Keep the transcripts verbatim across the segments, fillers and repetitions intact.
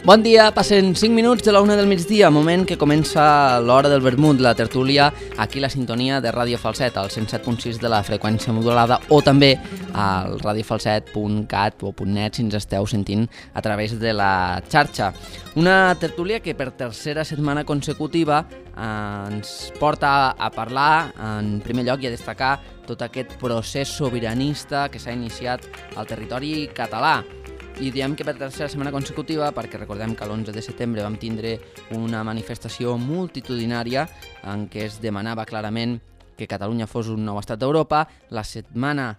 Bon dia, passen cinc minuts de la una del migdia, moment que comença l'hora del vermut, la tertúlia, aquí la sintonia de Ràdio Falset, al cent set punt sis de la freqüència modulada, o també al radiofalset punt cat o .net si ens esteu sentint a través de la xarxa. Una tertúlia que per tercera setmana consecutiva eh, ens porta a parlar, en primer lloc, i a destacar tot aquest procés sobiranista que s'ha iniciat al territori català. I diem que per tercera setmana consecutiva perquè recordem que l'onze de setembre vam tindre una manifestació multitudinària en què es demanava clarament que Catalunya fos un nou estat d'Europa. La setmana,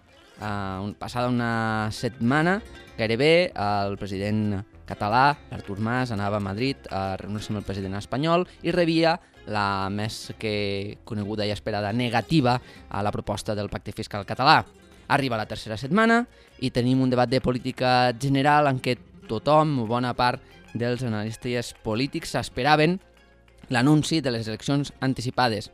eh, passada una setmana, gairebé el president català, l'Artur Mas, anava a Madrid a reunir-se amb el president espanyol i rebia la més que coneguda i esperada negativa a la proposta del pacte fiscal català. Arriba la tercera setmana i tenim un debat de política general en què tothom, bona part dels analistes polítics, esperaven l'anunci de les eleccions anticipades.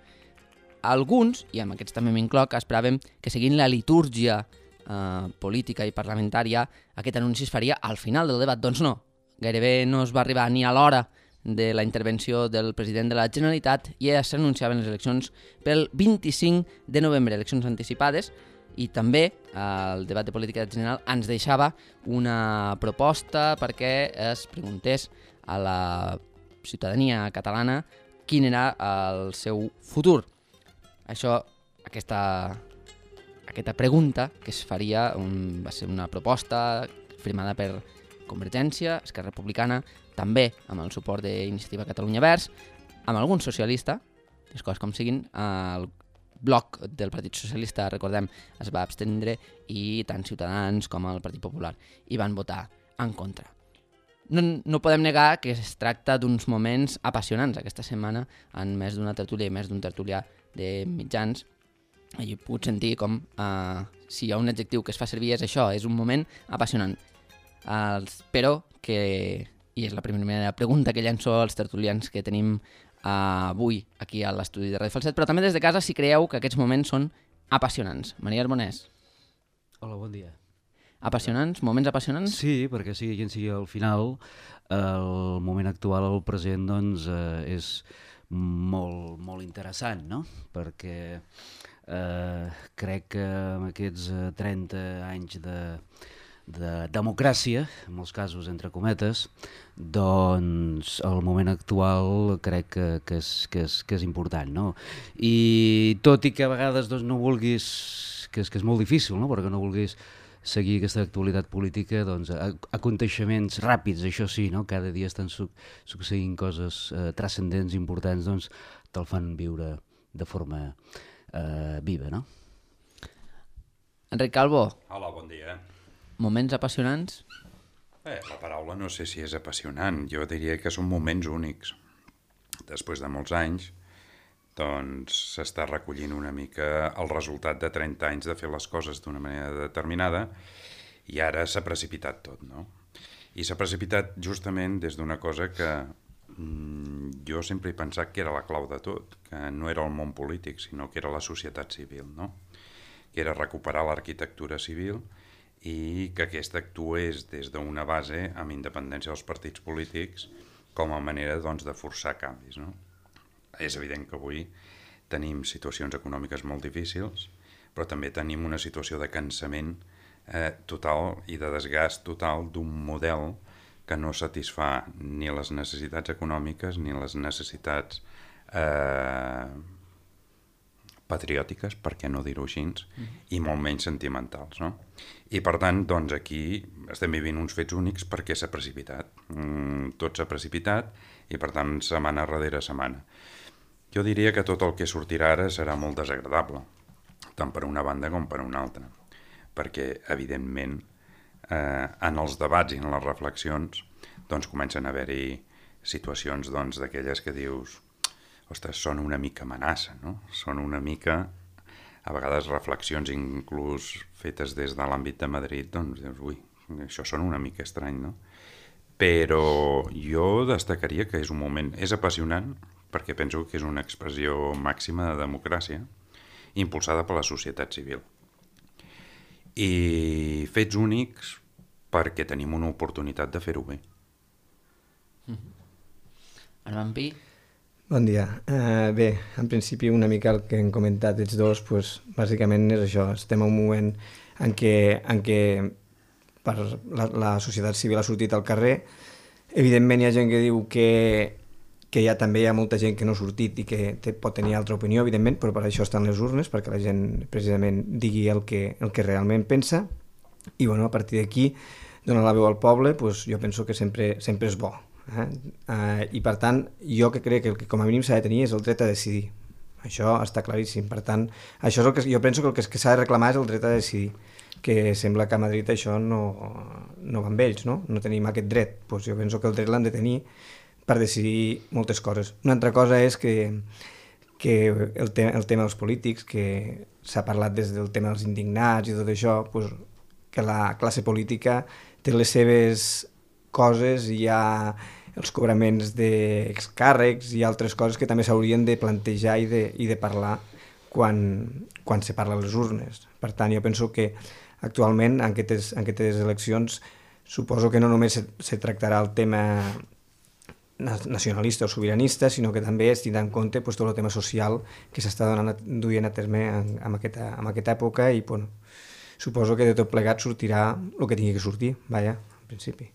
Alguns, i amb aquests també m'incloc, esperaven que seguint la litúrgia eh, política i parlamentària aquest anunci es faria al final del debat. Doncs no, gairebé no es va arribar ni a l'hora de la intervenció del president de la Generalitat i ja s'anunciaven les eleccions pel vint-i-cinc de novembre, eleccions anticipades. I també el debat de política general ens deixava una proposta perquè es preguntés a la ciutadania catalana quin era el seu futur. Això, aquesta, aquesta pregunta que es faria un, va ser una proposta firmada per Convergència, Esquerra Republicana, també amb el suport d'Iniciativa Catalunya Verds, amb algun socialista, les coses com siguin, el bloc del Partit Socialista, recordem, es va abstendre i tant Ciutadans com el Partit Popular hi van votar en contra. No, no podem negar que es tracta d'uns moments apassionants aquesta setmana en més d'una tertúlia i més d'un tertulià de mitjans. He pogut sentir com eh, si hi ha un adjectiu que es fa servir és això, és un moment apassionant. Eh, espero que, i és la primera pregunta que llenço als tertulians que tenim Uh, avui aquí a l'estudi de Ràdio Falset, però també des de casa si creieu que aquests moments són apassionants. Maria Arbonès. Hola, bon dia. Apassionants? Moments apassionants? Sí, perquè sigui quin sigui al final, el moment actual, el present, doncs, eh, és molt, molt interessant, no? Perquè eh, crec que amb aquests trenta anys de, de democràcia, en molts casos entre cometes, doncs el moment actual crec que, que, és, que, és, que és important, no? I tot i que a vegades doncs, no vulguis, que és, que és molt difícil, no? Perquè no vulguis seguir aquesta actualitat política, doncs aconteixements ràpids, això sí, no? Cada dia estan su succeint coses eh, transcendents, importants, doncs te'l fan viure de forma eh, viva, no? Enric Calvo. Hola, bon dia. Moments apassionants? Bé, la paraula no sé si és apassionant, jo diria que són moments únics. Després de molts anys, doncs s'està recollint una mica el resultat de trenta anys de fer les coses d'una manera determinada i ara s'ha precipitat tot, no? I s'ha precipitat justament des d'una cosa que mmm, jo sempre he pensat que era la clau de tot, que no era el món polític, sinó que era la societat civil, no? Que era recuperar l'arquitectura civil i que aquesta actués des d'una base amb independència dels partits polítics com a manera doncs, de forçar canvis, no? És evident que avui tenim situacions econòmiques molt difícils, però també tenim una situació de cansament eh, total i de desgast total d'un model que no satisfà ni les necessitats econòmiques ni les necessitats eh, patriòtiques, per què no dir-ho així, i molt menys sentimentals, no? I per tant, doncs aquí estem vivint uns fets únics perquè s'ha precipitat. Mm, tot s'ha precipitat i per tant setmana darrere setmana. Jo diria que tot el que sortirà ara serà molt desagradable, tant per una banda com per una altra, perquè evidentment eh, en els debats i en les reflexions doncs comencen a haver-hi situacions doncs d'aquelles que dius ostres, són una mica amenaça, no? Són una mica, a vegades reflexions inclús fetes des de l'àmbit de Madrid, doncs dius, ui, això sona una mica estrany, no? Però jo destacaria que és un moment, és apassionant, perquè penso que és una expressió màxima de democràcia, impulsada per la societat civil. I fets únics perquè tenim una oportunitat de fer-ho bé. Armand Pi? Bon dia. Uh, bé, en principi una mica el que hem comentat els dos, pues, bàsicament és això, estem en un moment en què, en què per la, la societat civil ha sortit al carrer. Evidentment hi ha gent que diu que, que hi ha, també hi ha molta gent que no ha sortit i que té, pot tenir altra opinió, evidentment, però per això estan les urnes, perquè la gent precisament digui el que, el que realment pensa. I bueno, a partir d'aquí, donar la veu al poble, pues, jo penso que sempre, sempre és bo. Eh? Uh, I per tant, jo que crec que el que com a mínim s'ha de tenir és el dret a decidir. Això està claríssim. Per tant, això és el que jo penso que el que s'ha de reclamar és el dret a decidir, que sembla que a Madrid això no, no va amb ells, no? No tenim aquest dret. Pues jo penso que el dret l'han de tenir per decidir moltes coses. Una altra cosa és que, que el, te el tema dels polítics, que s'ha parlat des del tema dels indignats i tot això, pues, que la classe política té les seves coses, hi ha els cobraments d'excàrrecs i altres coses que també s'haurien de plantejar i de, i de parlar quan, quan se parla a les urnes. Per tant, jo penso que actualment en aquestes, en aquestes eleccions suposo que no només se, se tractarà el tema nacionalista o sobiranista, sinó que també es tindrà en compte pues, tot el tema social que s'està duent a terme en, en, aquesta, en aquesta època i bueno, suposo que de tot plegat sortirà el que tingui que sortir, vaja, en principi.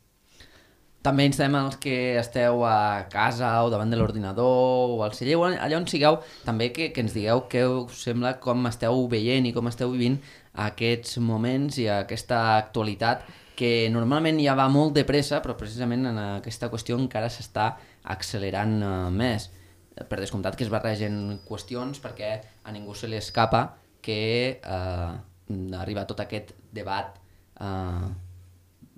També instem els que esteu a casa o davant de l'ordinador o al celler, allà on sigueu, també que, que ens digueu què us sembla, com esteu veient i com esteu vivint aquests moments i aquesta actualitat que normalment ja va molt de pressa, però precisament en aquesta qüestió encara s'està accelerant uh, més. Per descomptat que es barregen qüestions perquè a ningú se li escapa que uh, arriba tot aquest debat uh,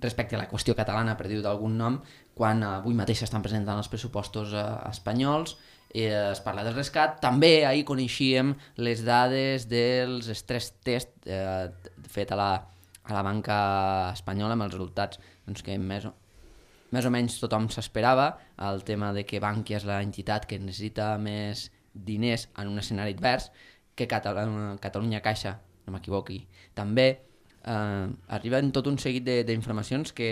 respecte a la qüestió catalana, per dir-ho d'algun nom, quan avui mateix s'estan presentant els pressupostos eh, espanyols, eh, es parla del rescat. També ahir coneixíem les dades dels stress test eh, fet a la, a la banca espanyola amb els resultats doncs, que més o, més o menys tothom s'esperava, el tema de que Bankia és la entitat que necessita més diners en un escenari advers, que Catalunya, Catalunya Caixa, no m'equivoqui, també. Uh, arriben tot un seguit d'informacions que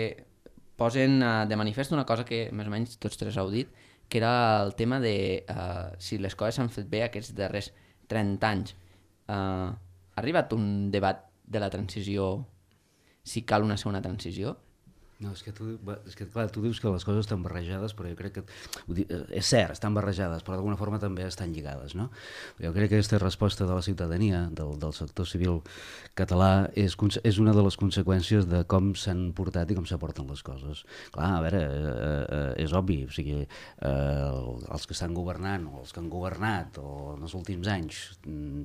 posen uh, de manifest una cosa que més o menys tots tres heu dit, que era el tema de uh, si les coses s'han fet bé aquests darrers trenta anys. Uh, ha arribat un debat de la transició, si cal una segona transició? No, és que, tu, és que clar, tu dius que les coses estan barrejades, però jo crec que, és cert, estan barrejades, però d'alguna forma també estan lligades, no? Jo crec que aquesta resposta de la ciutadania, del, del sector civil català, és, és una de les conseqüències de com s'han portat i com s'aporten les coses. Clar, a veure, eh, eh, és obvi, o sigui, eh, els que estan governant, o els que han governat, o en els últims anys,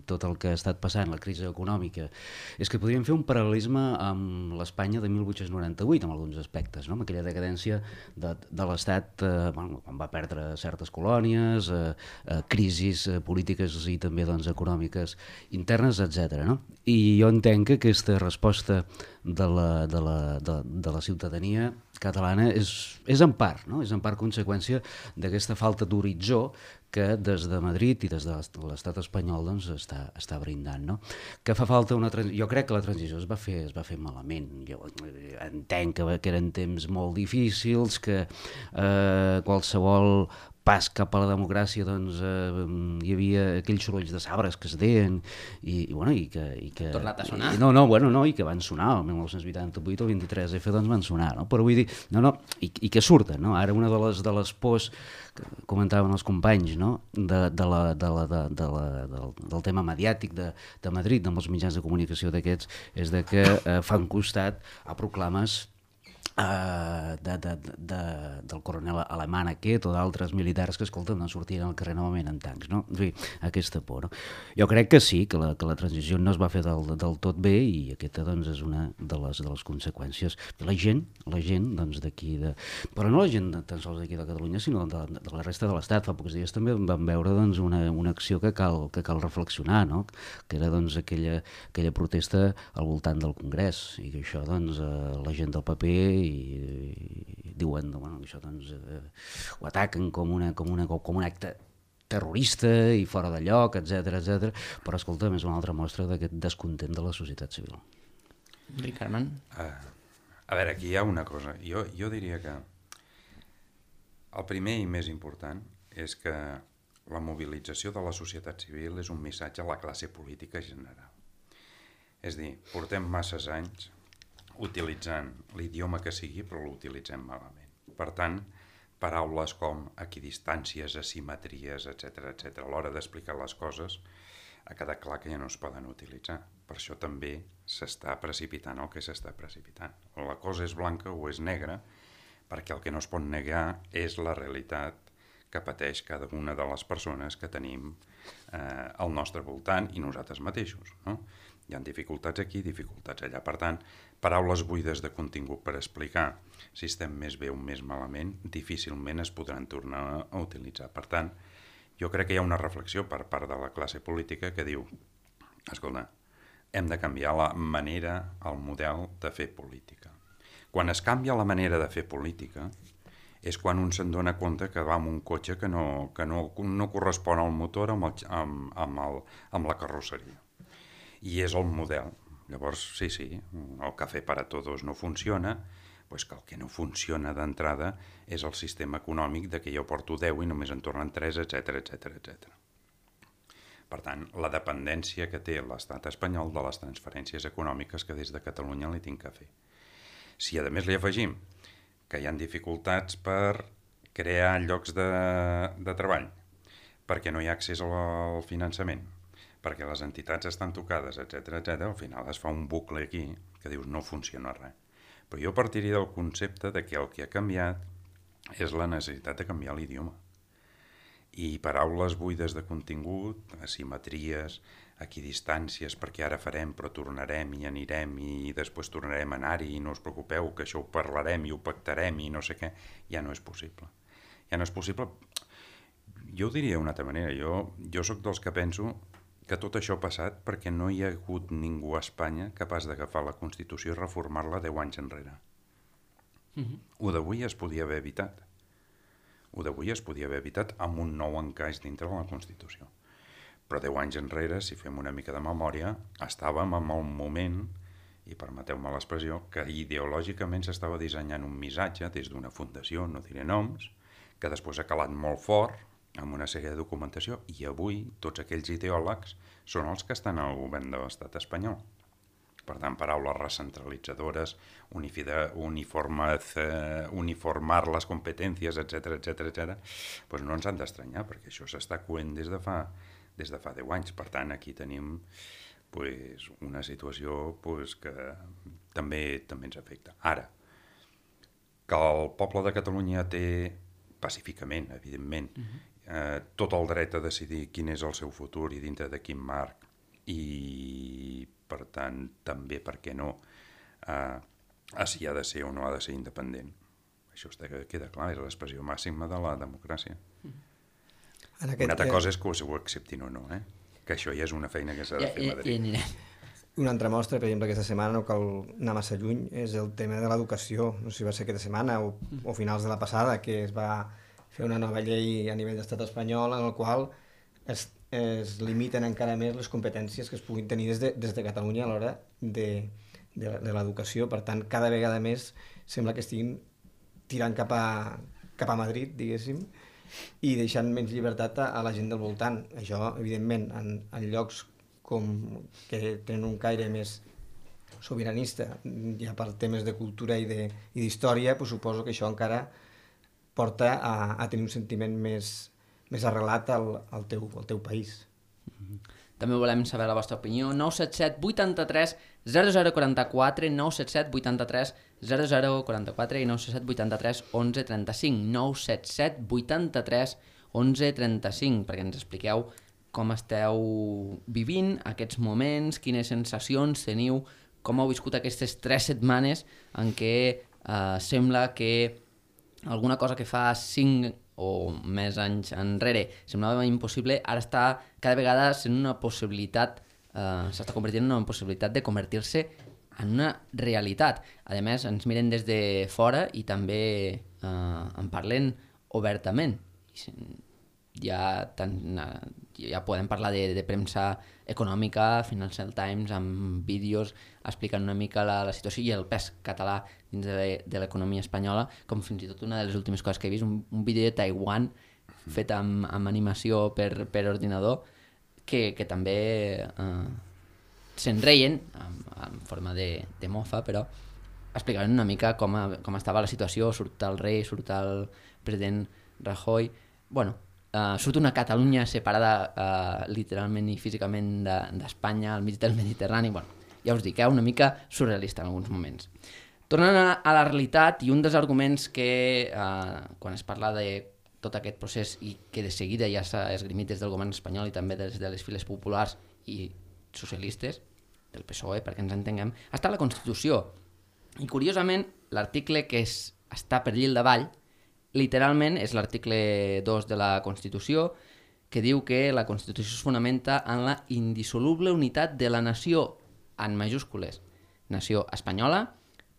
tot el que ha estat passant, la crisi econòmica, és que podríem fer un paral·lelisme amb l'Espanya de mil vuit-cents noranta-vuit, amb alguns aspectes, no? Amb aquella decadència de, de l'Estat, eh, bueno, quan va perdre certes colònies, eh, eh, crisis eh, polítiques i també doncs, econòmiques internes, etcètera. No? I jo entenc que aquesta resposta de la, de la, de, de la ciutadania catalana és, és en part, no? És en part conseqüència d'aquesta falta d'horitzó que des de Madrid i des de l'estat espanyol doncs, està, està brindant. No? Que fa falta una transició. Jo crec que la transició es va fer, es va fer malament. Jo entenc que, que eren temps molt difícils, que eh, qualsevol pas cap a la democràcia doncs, eh, hi havia aquells sorolls de sabres que es deien i, i, bueno, i que... I que tornat a sonar. I, no, no, bueno, no, i que van sonar, el dinou vuitanta-vuit o vint-i-tres efa doncs van sonar, no? Però vull dir, no, no, i, i que surten, no? Ara una de les, de les pors que comentaven els companys, no? de, de la, de la, de, de la, del, del tema mediàtic de, de Madrid, amb els mitjans de comunicació d'aquests, és de que eh, fan costat a proclames Uh, de, de, de, del coronel alemany aquest o d'altres militars que, escolta, no sortien al carrer novament en tancs, no? En fi, aquesta por, no? Jo crec que sí, que la, que la transició no es va fer del, del tot bé i aquesta, doncs, és una de les, de les conseqüències. La gent, la gent, doncs, d'aquí, de... però no la gent tan sols d'aquí de Catalunya, sinó de, de la resta de l'Estat. Fa pocs dies també vam veure, doncs, una, una acció que cal, que cal reflexionar, no? Que era, doncs, aquella, aquella protesta al voltant del Congrés i que això, doncs, eh, la gent del paper i, i diuen bueno, això doncs, eh, ho ataquen com, una, com, una, com un acte terrorista i fora de lloc, etcètera, etcètera. Però escolta, és una altra mostra d'aquest descontent de la societat civil. Ricard Armand? Uh, a veure, aquí hi ha una cosa. Jo, jo diria que El primer i més important és que la mobilització de la societat civil és un missatge a la classe política general. És a dir, portem masses anys utilitzant l'idioma que sigui, però l'utilitzem malament. Per tant, paraules com equidistàncies, asimetries, etcètera, etcètera, a l'hora d'explicar les coses ha quedat clar que ja no es poden utilitzar. Per això també s'està precipitant el que s'està precipitant. O la cosa és blanca o és negra, perquè el que no es pot negar és la realitat que pateix cada una de les persones que tenim eh, al nostre voltant i nosaltres mateixos, no? Hi ha dificultats aquí, dificultats allà. Per tant, paraules buides de contingut per explicar si estem més bé o més malament difícilment es podran tornar a utilitzar. Per tant, jo crec que hi ha una reflexió per part de la classe política que diu, escolta, hem de canviar la manera, el model de fer política. Quan es canvia la manera de fer política és quan un se'n dona compte que va amb un cotxe que no, que no, no correspon al motor amb, el, amb, amb, el, amb la carrosseria. I és el model. Llavors, sí, sí, el cafè para todos no funciona, doncs que el que no funciona d'entrada és el sistema econòmic de que jo porto deu i només en tornen tres, etcètera, etcètera, etcètera. Per tant, la dependència que té l'estat espanyol de les transferències econòmiques que des de Catalunya li tinc que fer. Si a més li afegim que hi ha dificultats per crear llocs de, de treball, perquè no hi ha accés al finançament, perquè les entitats estan tocades, etcètera, etcètera, al final es fa un bucle aquí que dius no funciona res. Però jo partiria del concepte de que el que ha canviat és la necessitat de canviar l'idioma. I paraules buides de contingut, asimetries, equidistàncies, perquè ara farem però tornarem i anirem i després tornarem a anar-hi i no us preocupeu que això ho parlarem i ho pactarem i no sé què, ja no és possible. Ja no és possible. Jo ho diria d'una altra manera, jo, jo sóc dels que penso que tot això ha passat perquè no hi ha hagut ningú a Espanya capaç d'agafar la Constitució i reformar-la deu anys enrere. Mm-hmm. Ho d'avui es podia haver evitat. Ho d'avui es podia haver evitat amb un nou encaix dintre de la Constitució. Però deu anys enrere, si fem una mica de memòria, estàvem en el moment, i permeteu-me l'expressió, que ideològicament s'estava dissenyant un missatge des d'una fundació, no diré noms, que després ha calat molt fort amb una sèrie de documentació, i avui tots aquells ideòlegs són els que estan al govern de l'estat espanyol. Per tant, paraules recentralitzadores, uniformar, uniformar les competències, etcètera, etcètera, etcètera, doncs no ens han d'estranyar, perquè això s'està coent des de fa, des de fa deu anys. Per tant, aquí tenim pues, una situació pues, que també, també ens afecta. Ara, que el poble de Catalunya té, pacíficament, evidentment, uh-huh. eh, tot el dret a decidir quin és el seu futur i dintre de quin marc, i per tant també, per què no, eh, si ha de ser o no ha de ser independent. Això està, queda clar, és l'expressió màxima de la democràcia. En aquest una altra cosa és que ho acceptin o no, eh? Que això ja és una feina que s'ha de fer a Madrid. I, i anirem. Una altra mostra, per exemple, aquesta setmana, no cal anar massa lluny, és el tema de l'educació. No sé si va ser aquesta setmana o, o finals de la passada, que es va fer una nova llei a nivell d'estat espanyol en el qual es, es limiten encara més les competències que es puguin tenir des de, des de Catalunya a l'hora de, de, de l'educació. Per tant, cada vegada més sembla que estiguin tirant cap a, cap a Madrid, diguéssim, i deixant menys llibertat a, a la gent del voltant. Això, evidentment, en, en llocs com que tenen un caire més sobiranista, ja per temes de cultura i d'història, pues suposo que això encara porta a, a tenir un sentiment més, més arrelat al, al, teu, al teu país. També volem saber la vostra opinió. nou set set vuitanta-tres zero zero quaranta-quatre, nou set set vuitanta-tres zero zero quaranta-quatre i nou set set vuitanta-tres onze trenta-cinc, nou set set vuitanta-tres onze trenta-cinc, perquè ens expliqueu com esteu vivint aquests moments, quines sensacions teniu, com heu viscut aquestes tres setmanes en què eh, sembla que alguna cosa que fa cinc o més anys enrere semblava impossible, ara està cada vegada sent una possibilitat, eh, s'està convertint en una possibilitat de convertir-se en una realitat. A més, ens miren des de fora i també eh, en parlen obertament. ja, tan, ja podem parlar de, de premsa econòmica, Financial Times, amb vídeos explicant una mica la, la situació i el pes català dins de, de l'economia espanyola, com fins i tot una de les últimes coses que he vist, un, un vídeo de Taiwan fet amb, amb animació per, per ordinador, que, que també eh, se'n reien, en, en forma de, de mofa, però explicaven una mica com, a, com estava la situació, surt el rei, surt el president Rajoy, bueno, Uh, surt una Catalunya separada uh, literalment i físicament d'Espanya, de, al mig del Mediterrani, bueno, ja us dic, eh, una mica surrealista en alguns moments. Tornant a, a la realitat, i un dels arguments que, uh, quan es parla de tot aquest procés i que de seguida ja s'ha esgrimit des del govern espanyol i també des de les files populars i socialistes, del P S O E, perquè ens entenguem, està la Constitució. I curiosament, l'article que es, està per allí al davall, literalment és l'article dos de la Constitució, que diu que la Constitució es fonamenta en la indissoluble unitat de la nació, en majúscules, nació espanyola,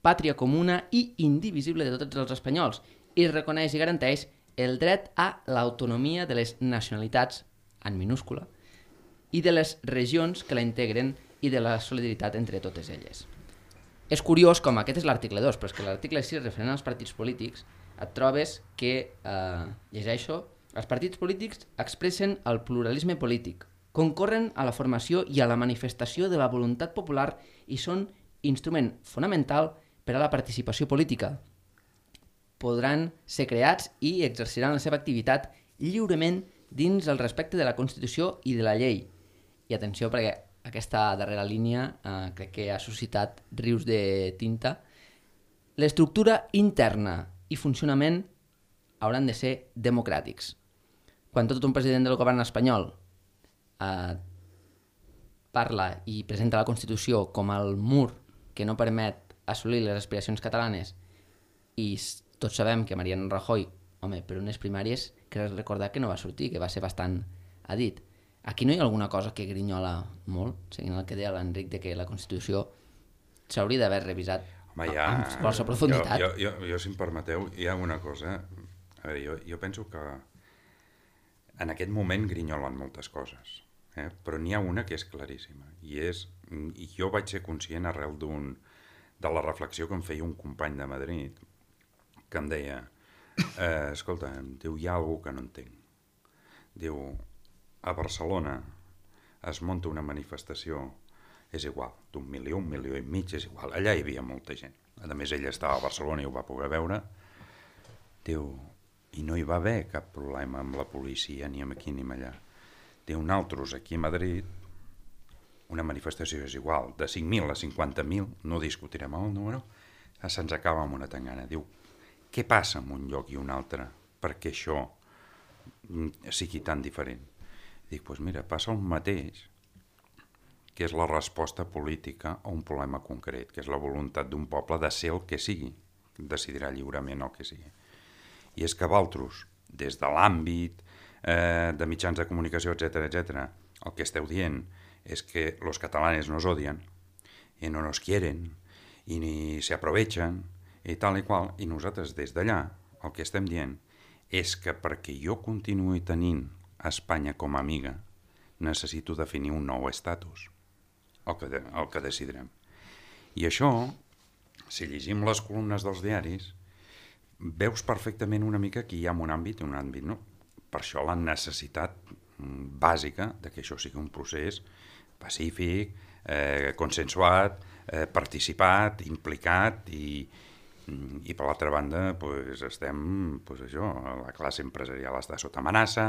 pàtria comuna i indivisible de tots els espanyols, i reconeix i garanteix el dret a l'autonomia de les nacionalitats, en minúscula, i de les regions que la integren i de la solidaritat entre totes elles. És curiós com aquest és l'article dos, però és que l'article sis, referent als partits polítics, et trobes que, eh, llegeixo, els partits polítics expressen el pluralisme polític, concorren a la formació i a la manifestació de la voluntat popular i són instrument fonamental per a la participació política. Podran ser creats i exerciran la seva activitat lliurement dins el respecte de la Constitució i de la llei. I atenció, perquè aquesta darrera línia eh, crec que ha suscitat rius de tinta. L'estructura interna i funcionament hauran de ser democràtics. Quan tot un president del govern espanyol eh, parla i presenta la Constitució com el mur que no permet assolir les aspiracions catalanes i tots sabem que Mariano Rajoy, home, per unes primàries, crec recordar que no va sortir, que va ser bastant adit. Aquí no hi ha alguna cosa que grinyola molt, seguint el que deia l'Enric, de que la Constitució s'hauria d'haver revisat Home, ja, amb qualsevol profunditat. Jo, jo, jo, jo, si em permeteu, hi ha una cosa. A veure, jo, jo penso que en aquest moment grinyolen moltes coses, eh? Però n'hi ha una que és claríssima, i és, i jo vaig ser conscient arrel d'un, de la reflexió que em feia un company de Madrid, que em deia, eh, escolta, em diu, hi ha algú que no entenc. Diu, a Barcelona es munta una manifestació, és igual, d'un milió, un milió i mig, és igual. Allà hi havia molta gent. A més, ella estava a Barcelona i ho va poder veure. Diu, i no hi va haver cap problema amb la policia, ni amb aquí ni amb allà. Diu, nosaltres aquí a Madrid, una manifestació és igual, de cinc mil a cinquanta mil, no discutirem el número, se'ns acaba amb una tangana. Diu, què passa en un lloc i un altre perquè això sigui tan diferent? Dic, doncs mira, passa el mateix, que és la resposta política a un problema concret, que és la voluntat d'un poble de ser el que sigui, decidirà lliurement el que sigui. I és que vosaltres, des de l'àmbit eh, de mitjans de comunicació, etcètera, etcètera, el que esteu dient és que los catalanes nos odian, i no nos quieren, i ni se aprovechen, i tal i qual, i nosaltres des d'allà el que estem dient és que perquè jo continuï tenint Espanya com a amiga, necessito definir un nou estatus. El que, de, el que decidirem. I això, si llegim les columnes dels diaris, veus perfectament una mica que hi ha un àmbit i un àmbit no. Per això la necessitat bàsica de que això sigui un procés pacífic, eh, consensuat, eh, participat, implicat i, i per l'altra banda pues, estem, pues, això, la classe empresarial està sota amenaça,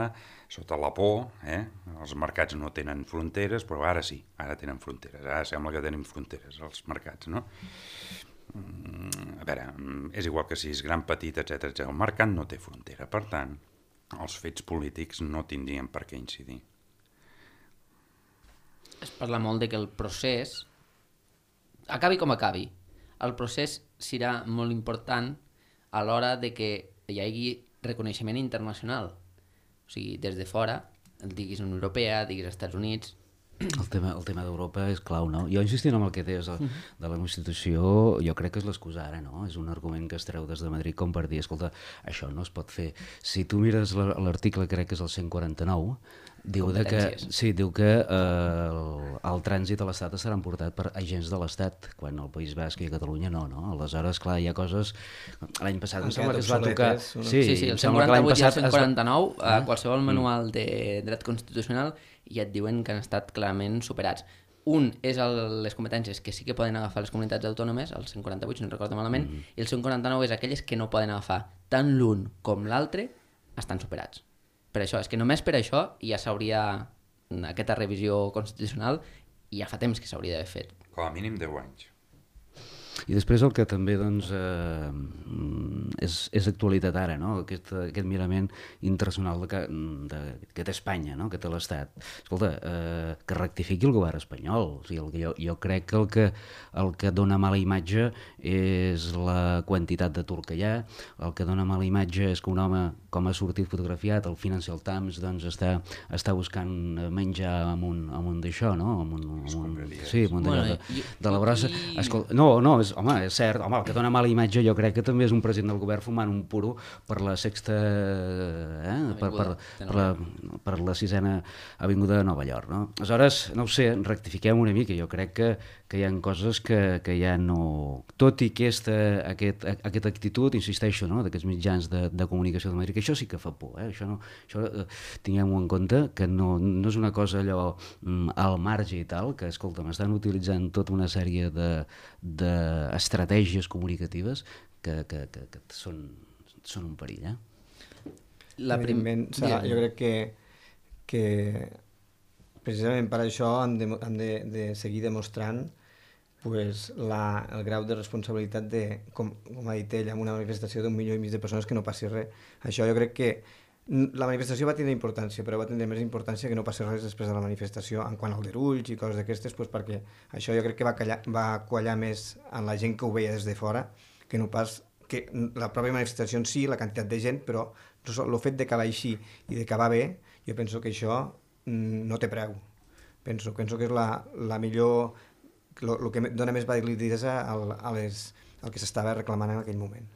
sota la por, eh? Els mercats no tenen fronteres, però ara sí, ara tenen fronteres, ara sembla que tenim fronteres els mercats, no? A veure, és igual que si és gran, petit, etcètera, etcètera. El mercat no té frontera, per tant, els fets polítics no tindrien per què incidir. Es parla molt de que el procés, acabi com acabi, el procés serà molt important a l'hora de que hi hagi reconeixement internacional. O sigui, des de fora, diguis Unió Europea, diguis Estats Units, El tema, el tema d'Europa és clau, no? Jo insistint en el que deies de, de la Constitució, jo crec que és l'excusa ara, no? És un argument que es treu des de Madrid com per dir, escolta, això no es pot fer. Si tu mires l'article, crec que és el cent quaranta-nou, diu de que, sí, diu que eh, el, el trànsit a l'Estat serà portat per agents de l'Estat, quan al País Basc i a Catalunya no, no? Aleshores, clar, hi ha coses... L'any passat em sembla que es va tocar... Sí, sí, sí, el cent quaranta-vuit i el cent quaranta-nou, a qualsevol manual de dret constitucional i et diuen que han estat clarament superats. Un és el, les competències que sí que poden agafar les comunitats autònomes, el cent quaranta-vuit, si no recordo malament, mm. i el cent quaranta-nou és aquelles que no poden agafar. Tant l'un com l'altre estan superats. Per això, és que només per això ja s'hauria, aquesta revisió constitucional, i ja fa temps que s'hauria d'haver fet. Com a mínim deu anys. I després el que també doncs, eh, és, és actualitat ara, no? aquest, aquest mirament internacional de, de, que té Espanya, no? Que té l'Estat. Escolta, eh, que rectifiqui el govern espanyol. O sigui, el que jo, jo crec que el, que el que dona mala imatge és la quantitat d'atur que hi ha, el que dona mala imatge és que un home, com ha sortit fotografiat, el Financial Times, doncs, està, està buscant menjar amb un, amb un d'això, no? Amb un, amb un, sí, amb un bueno, de, i, de la brossa. I... Escolta, no, no, és, home, és cert, home, el que dona mala imatge jo crec que també és un president del govern fumant un puro per la sexta, eh? per, per, per, la, per la sisena avinguda de Nova York, no? Aleshores, no ho sé, rectifiquem una mica, jo crec que, que hi ha coses que, que ja no... Tot i que aquesta, aquest, aquesta actitud, insisteixo, no? D'aquests mitjans de, de comunicació de Madrid, que això sí que fa por, eh? Això, no, això eh, tinguem-ho en compte, que no, no és una cosa allò mm, al marge i tal, que, escolta, m'estan utilitzant tota una sèrie de, de estratègies comunicatives que, que, que, que són, són un perill, eh? La prim... Sara, jo crec que, que precisament per això hem de, hem de, de seguir demostrant pues, la, el grau de responsabilitat de, com, com ha dit ell, amb una manifestació d'un milió i mig de persones que no passi res. Això jo crec que la manifestació va tenir importància, però va tenir més importància que no passi res després de la manifestació en quant al derulls i coses d'aquestes, pues, perquè això jo crec que va, callar, va quallar més en la gent que ho veia des de fora que no pas que la pròpia manifestació en si, la quantitat de gent, però el fet d'acabar així i d'acabar bé, jo penso que això no té preu. Penso, penso que és la, la millor, el que dona més validesa a, a les, el que s'estava reclamant en aquell moment.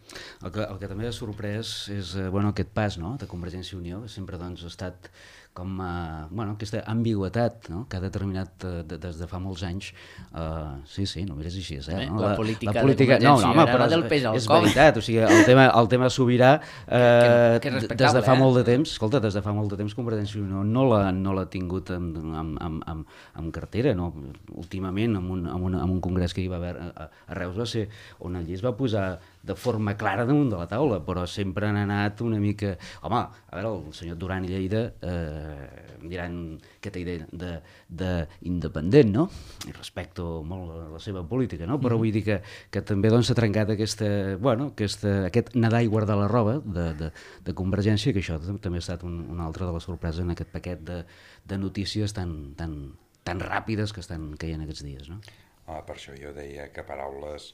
El que, el que també ha sorprès és bueno, aquest pas, no?, de Convergència i Unió, que sempre doncs, ha estat com uh, bueno, aquesta ambigüetat, no?, que ha determinat uh, de, des de fa molts anys. Uh, sí, sí, no mires així, eh? No? La, la política, la política de Convergència no, no, home, però del pes al és cop. veritat, o sigui, el tema, el tema sobirà uh, que, que des de fa eh? molt de temps, escolta, des de fa molt de temps Convergència i Unió no l'ha no l'ha tingut amb, amb, amb, amb, amb cartera, no? Últimament, amb un, amb, un, amb un congrés que hi va haver a, a Reus va ser on allí es va posar de forma clara damunt de la taula, però sempre han anat una mica... Home, a veure, el senyor Duran i Lleida eh, em diran aquesta idea d'independent, no? I respecto molt a la seva política, no? Però vull dir que, que també doncs, s'ha trencat aquesta, bueno, aquesta, aquest nedar i guardar la roba de, de, de Convergència, que això també ha estat un, una altra de les sorpreses en aquest paquet de, de notícies tan, tan, tan ràpides que estan caient aquests dies, no? Ah, per això jo deia que paraules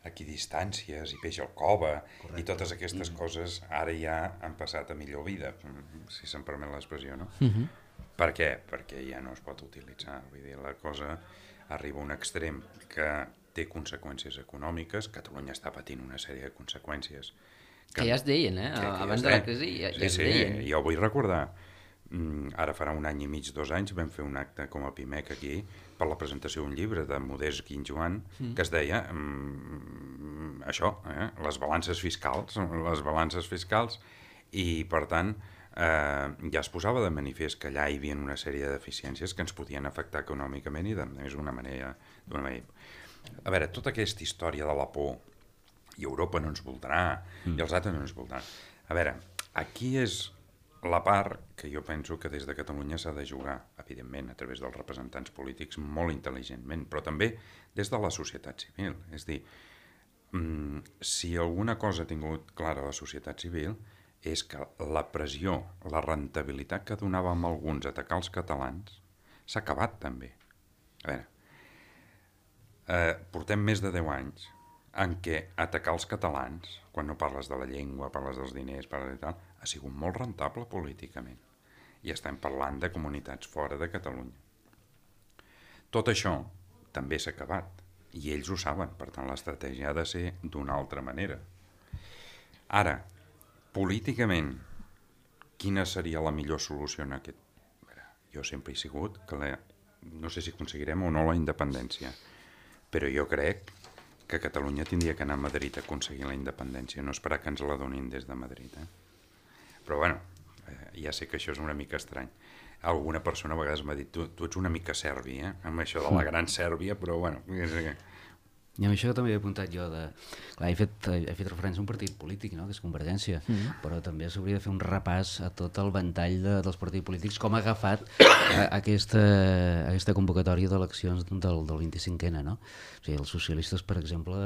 equidistàncies i peix al cova. Correcte. I totes aquestes mm. coses ara ja han passat a millor vida, si se'm permet l'expressió, no? Mm-hmm. Per què? Perquè ja no es pot utilitzar. Vull dir, la cosa arriba a un extrem que té conseqüències econòmiques. Catalunya està patint una sèrie de conseqüències. Que, que ja es deien, eh? Que, que Abans ja es de la crisi ja, sí, ja es sí, deien. Jo vull recordar, ara farà un any i mig, dos anys, vam fer un acte com a Pimec aquí per la presentació d'un llibre de Modest Guinjoan mm. que es deia mm, això, eh? les balances fiscals, les balances fiscals, i per tant eh, ja es posava de manifest que allà hi havia una sèrie de deficiències que ens podien afectar econòmicament i de més d'una manera, d'una manera. A veure, tota aquesta història de la por i Europa no ens voldrà mm. i els altres no ens voldran. A veure, aquí és la part que jo penso que des de Catalunya s'ha de jugar, evidentment, a través dels representants polítics molt intel·ligentment, però també des de la societat civil. És dir, si alguna cosa ha tingut clara la societat civil és que la pressió, la rentabilitat que donava amb alguns a atacar els catalans s'ha acabat també. A veure, eh, portem més de deu anys en què atacar els catalans, quan no parles de la llengua, parles dels diners, parles de tal, ha sigut molt rentable políticament. I estem parlant de comunitats fora de Catalunya. Tot això també s'ha acabat i ells ho saben, per tant l'estratègia ha de ser d'una altra manera. Ara, políticament, quina seria la millor solució en aquest? Jo sempre he sigut que la... no sé si aconseguirem o no la independència, però jo crec que Catalunya tindria que anar a Madrid a aconseguir la independència, no esperar que ens la donin des de Madrid. Eh? Però bueno, eh, ja sé que això és una mica estrany. Alguna persona a vegades m'ha dit, tu, tu ets una mica serbi, eh? Amb això de la gran Sèrbia, però bueno... I amb això també he apuntat jo de... Clar, he fet, he fet referència a un partit polític, no?, que és Convergència, mm. però també s'hauria de fer un repàs a tot el ventall de, dels partits polítics, com ha agafat a, aquesta, aquesta convocatòria d'eleccions del, del vint-i-cinc ena, no? O sigui, els socialistes, per exemple,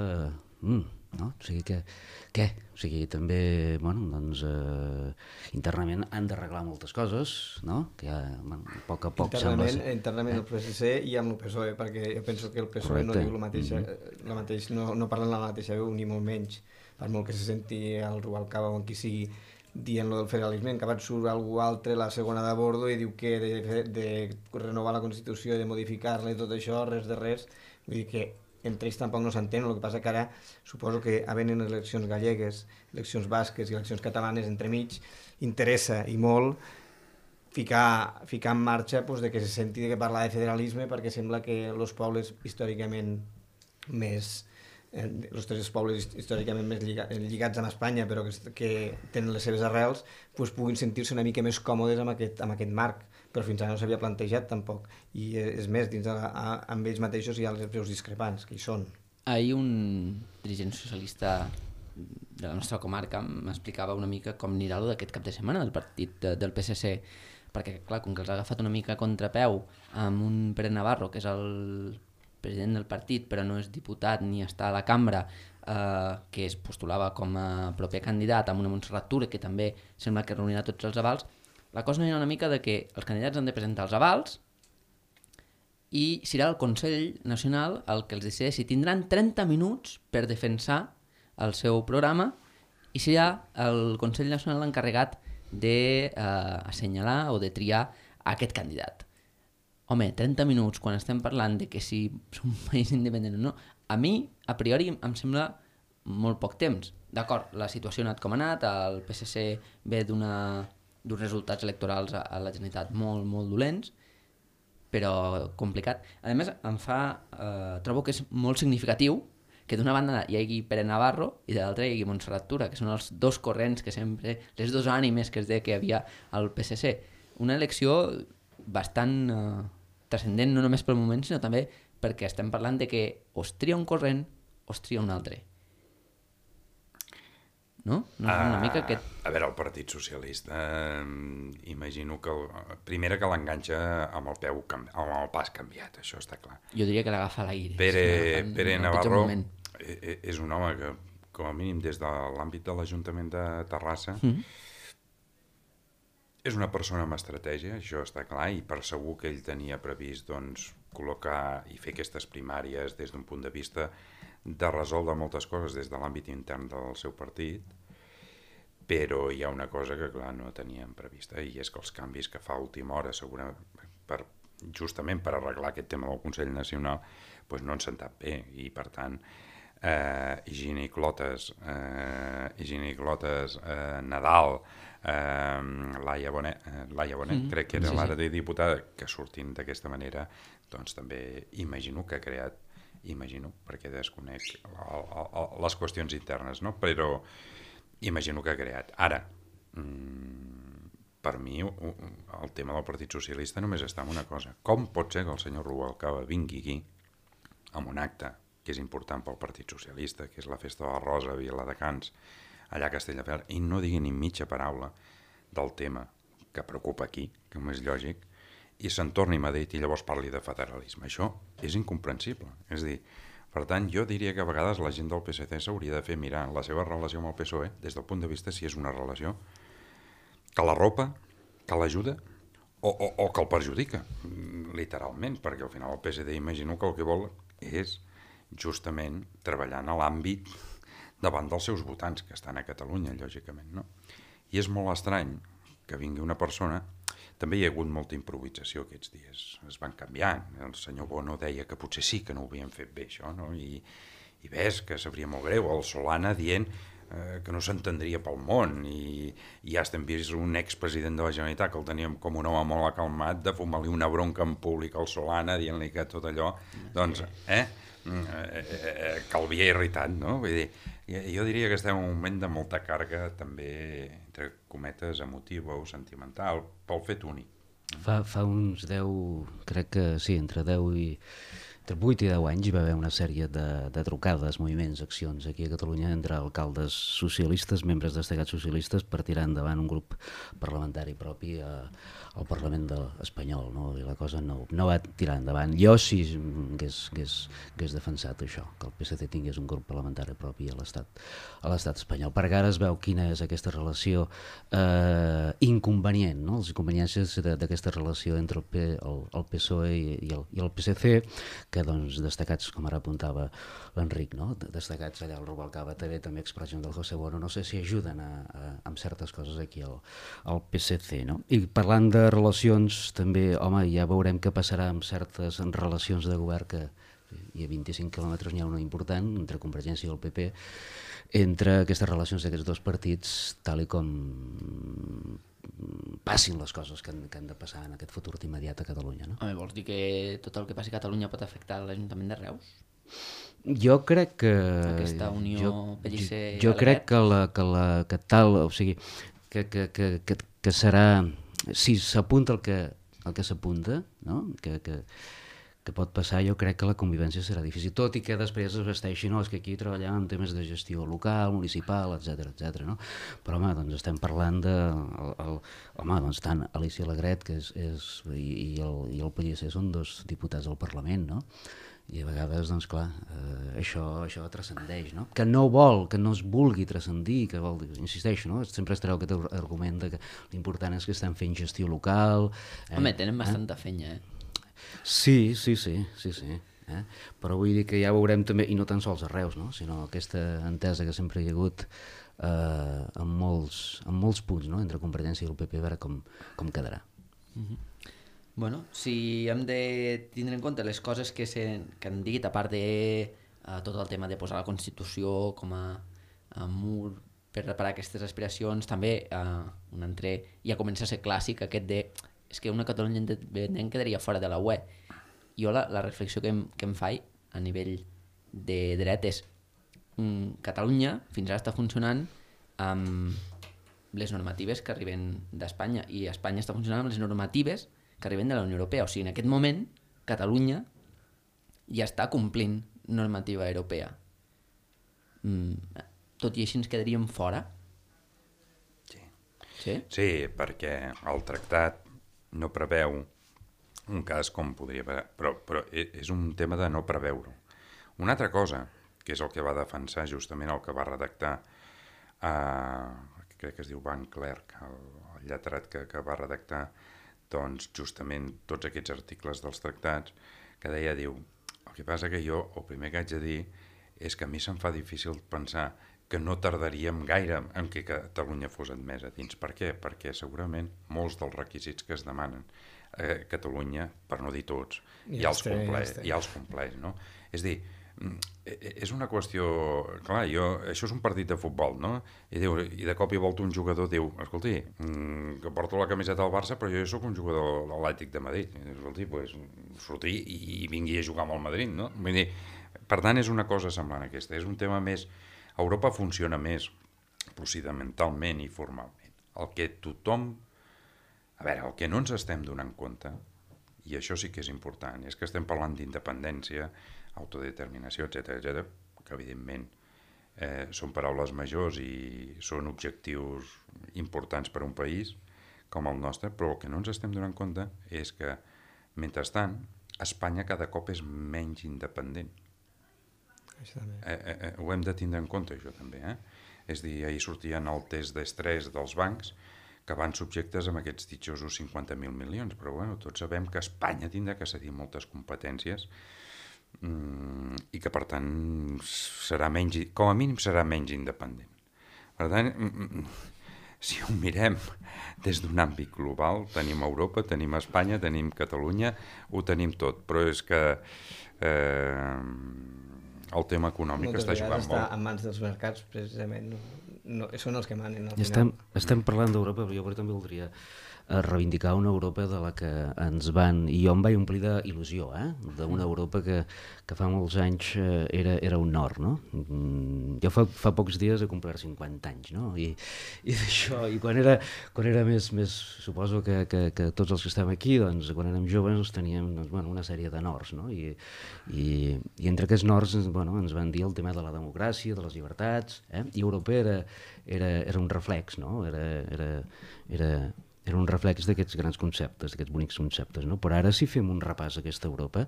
mm, no? O sigui que... Què? O sigui, també, bueno, doncs, eh, internament han d'arreglar moltes coses, no? Que ja, bueno, a poc a poc internament, sembla... Internament eh? el P S C i amb el P S O E, perquè jo penso que el P S O E Correcte. no diu la mateixa, mm-hmm. la mateix, no, no parlen la mateixa veu, ni molt menys, per molt que se senti el Rubalcaba o qui sigui dient lo del federalisme, en acabat surt algú altre, la segona de bordo, i diu que de, de renovar la Constitució, de modificar-la i tot això, res de res, vull dir que entre ells tampoc no s'entén, el que passa que ara suposo que havent eleccions gallegues, eleccions basques i eleccions catalanes entremig, interessa i molt ficar, ficar en marxa pues, de que se senti que parlar de federalisme, perquè sembla que els pobles històricament més eh, els tres pobles històricament més lliga, lligats amb Espanya, però que, que tenen les seves arrels, pues, puguin sentir-se una mica més còmodes amb aquest, amb aquest marc, però fins ara no s'havia plantejat tampoc, i és més, dins de la, a, amb ells mateixos hi ha els preus discrepants, que hi són. Ahir un dirigent socialista de la nostra comarca m'explicava una mica com anirà lo d'aquest cap de setmana del partit de, del P S C, perquè clar, com que els ha agafat una mica a contrapeu amb un Pere Navarro, que és el president del partit però no és diputat ni està a la cambra, eh, que es postulava com a proper candidat, amb una Montserrat Tura que també sembla que reunirà tots els avals. La cosa no hi ha una mica de que els candidats han de presentar els avals i serà el Consell Nacional el que els decideixi. Tindran trenta minuts per defensar el seu programa i serà el Consell Nacional l'encarregat d'assenyalar eh, o de triar aquest candidat. Home, trenta minuts quan estem parlant de que si som un país independent o no, a mi, a priori, em sembla molt poc temps. D'acord, la situació ha anat com ha anat, el P S C ve d'una... d'uns resultats electorals a, a la Generalitat molt, molt dolents, però complicat. A més, em fa, eh, trobo que és molt significatiu que d'una banda hi hagi Pere Navarro i de l'altra hi hagi Montserrat Tura, que són els dos corrents que sempre, les dos ànimes que es deia que hi havia al P S C. Una elecció bastant eh, transcendent, no només pel moment, sinó també perquè estem parlant de que o es tria un corrent o es tria un altre. No? No és una mica aquest... A veure, el Partit Socialista, eh, imagino que... El, primera que l'enganxa amb el peu amb el pas canviat, això està clar. Jo diria que l'agafa a l'aire. Pere, si Pere Navarro és un home que, com a mínim, des de l'àmbit de l'Ajuntament de Terrassa, mm-hmm. és una persona amb estratègia, això està clar, i per segur que ell tenia previst doncs, col·locar i fer aquestes primàries des d'un punt de vista de resoldre moltes coses des de l'àmbit intern del seu partit, però hi ha una cosa que clar no teníem prevista, i és que els canvis que fa a última hora, segurament per, justament per arreglar aquest tema del Consell Nacional, doncs no han sentat bé, i per tant eh, Higini Clotes, eh, Higini Clotes, eh, Nadal, eh, Laia Bonet, eh, Laia Bonet mm-hmm. crec que era sí, l'ara de diputada, que sortint d'aquesta manera, doncs també imagino que ha creat imagino, perquè desconec el, el, les qüestions internes, no? Però imagino que ha creat. Ara, mmm, per mi, el tema del Partit Socialista només està en una cosa. Com pot ser que el senyor Rubalcaba vingui aquí amb un acte que és important pel Partit Socialista, que és la Festa de la Rosa a Viladecans, allà a Castelldefels, i no digui ni mitja paraula del tema que preocupa aquí, que no és lògic, i se'n torni a Madrid i llavors parli de federalisme. Això és incomprensible. És a dir, per tant, jo diria que a vegades la gent del P S C s'hauria de fer mirar la seva relació amb el P S O E des del punt de vista si és una relació que l'arropa, que l'ajuda o, o, o que el perjudica, literalment, perquè al final el P S D imagino que el que vol és justament treballar en l'àmbit davant dels seus votants que estan a Catalunya, lògicament, no? I és molt estrany que vingui una persona També hi ha hagut molta improvisació aquests dies, es van canviant. El senyor Bono deia que potser sí que no ho havien fet bé, això, no? I, i ves que sabria molt greu, el Solana dient eh, que no s'entendria pel món, i, i ja estem vist un expresident de la Generalitat que el teníem com un home molt acalmat de fumar-li una bronca en públic al Solana dient-li que tot allò, doncs, eh, eh, que el havia irritat, no? Vull dir, jo diria que estem en un moment de molta càrrega també, entre cometes, emotiva o sentimental, pel fet únic. Fa, fa uns deu, crec que sí, entre deu i entre vuit i deu anys hi va haver una sèrie de, de trucades, moviments, accions aquí a Catalunya entre alcaldes socialistes, membres destacats socialistes, per tirar endavant un grup parlamentari propi a, al Parlament de, espanyol, no? I la cosa no, no va tirar endavant. Jo sí hagués, hagués, hagués defensat això, que el P S C tingués un grup parlamentari propi a l'estat a l'estat espanyol, perquè ara es veu quina és aquesta relació eh, inconvenient, no? Les inconveniències d'aquesta relació entre el, P, el, el P S O E i el, i el P S C, que doncs destacats, com ara apuntava l'Enric, no? Destacats allà al Rubalcaba T V, també expressions del José Bono, no sé si ajuden a, a, amb certes coses aquí al, al P S C, no? I parlant de relacions, també, home, ja veurem què passarà amb certes relacions de govern, que hi ha vint-i-cinc quilòmetres, n'hi ha una important, entre Convergència i el P P, entre aquestes relacions d'aquests dos partits, tal i com passin les coses que han, que han de passar en aquest futur immediat a Catalunya, no? Home, vols dir que tot el que passi a Catalunya pot afectar l'Ajuntament de Reus? Jo crec que... Aquesta unió jo, Pellicer... Jo, jo crec que, la, que, la, que tal, o sigui, que, que, que, que, que serà... Si s'apunta el que, el que s'apunta, no? Que, que, que pot passar, jo crec que la convivència serà difícil, tot i que després es vesteixi, no, és que aquí treballàvem en temes de gestió local, municipal, etcètera, etcètera, no? Però, home, doncs estem parlant de... El, el, home, doncs tant Alicia Alegret que és, és, i, i, el, i el Pellicer són dos diputats del Parlament, no? I a vegades, doncs clar, eh, això, això transcendeix, no? Que no vol, que no es vulgui transcendir, que vol, insisteixo, no? Sempre es treu aquest argument de que l'important és que estem fent gestió local... Eh? Home, tenen bastanta eh? fenya, eh? Sí, sí, sí, sí, sí. Eh? Però vull dir que ja veurem també, i no tan sols a Reus, no? Sinó aquesta entesa que sempre hi ha hagut eh, en, molts, en molts punts, no? Entre Convergència i el P P, a veure com, com quedarà. Mm-hmm. Bueno, si hem de tindre en compte les coses que, se, que han dit, a part de uh, tot el tema de posar la Constitució com a, a mur per reparar aquestes aspiracions, també uh, un altre, ja comença a ser clàssic aquest de és que una Catalunya independent quedaria fora de la U E. Jo la, la reflexió que em, que em faig a nivell de dret és um, Catalunya fins ara està funcionant amb les normatives que arriben d'Espanya i Espanya està funcionant amb les normatives que arriben de la Unió Europea. O sigui, en aquest moment, Catalunya ja està complint normativa europea. Mm, tot i així ens quedaríem fora? Sí. Sí? Sí, perquè el tractat no preveu un cas com podria haver, però, però és un tema de no preveure. Una altra cosa, que és el que va defensar justament el que va redactar, eh, crec que es diu Van Clerk, el, el lletrat que, que va redactar doncs justament tots aquests articles dels tractats, que deia, diu, el que passa que jo, el primer que haig de dir és que a mi se'm fa difícil pensar que no tardaríem gaire en què Catalunya fos admesa dins. Per què? Perquè segurament molts dels requisits que es demanen a Catalunya, per no dir tots, ja, ja els compleix, ja els compleix, no? És a dir, és una qüestió... Clar, jo, això és un partit de futbol, no? I, diu, i de cop i volta un jugador diu, escolti, que porto la camiseta del Barça, però jo sóc un jugador de l'Atlètic de Madrid. I diu, escolti, pues, surti i vingui a jugar amb el Madrid, no? Vull dir, per tant, és una cosa semblant a aquesta. És un tema més... Europa funciona més procedimentalment i formalment. El que tothom... A veure, el que no ens estem donant compte, i això sí que és important, és que estem parlant d'independència, autodeterminació, etcètera, etcètera, que evidentment eh, són paraules majors i són objectius importants per a un país com el nostre, però el que no ens estem donant compte és que, mentrestant, Espanya cada cop és menys independent. Eh, eh, eh, ho hem de tindre en compte, això també. Eh? És a dir, ahir sortien el test d'estrès dels bancs que van subjectes amb aquests ditjosos cinquanta mil milions, però bueno, tots sabem que Espanya tindrà que cedir moltes competències mm, i que per tant serà menys, com a mínim serà menys independent. Per tant, mm, si ho mirem des d'un àmbit global, tenim Europa, tenim Espanya, tenim Catalunya, ho tenim tot, però és que eh, el tema econòmic moltes està jugant està molt. en mans dels mercats, precisament, no, no, són els que manen al Estem, final. estem parlant d'Europa, però jo però també voldria a reivindicar una Europa de la que ens van, i jo em vaig omplir d'il·lusió, eh? D'una Europa que, que fa molts anys eh, era, era un nord, no? Mm, jo fa, fa pocs dies he complert cinquanta anys, no? I, i d'això, i quan era, quan era més, més suposo que, que, que tots els que estem aquí, doncs, quan érem joves teníem doncs, bueno, una sèrie de nords, no? I, i, i entre aquests nords bueno, ens van dir el tema de la democràcia, de les llibertats, eh? I Europa era, era, era un reflex, no? Era, era, era, era un reflex d'aquests grans conceptes, d'aquests bonics conceptes, no? Però ara si fem un repàs a aquesta Europa,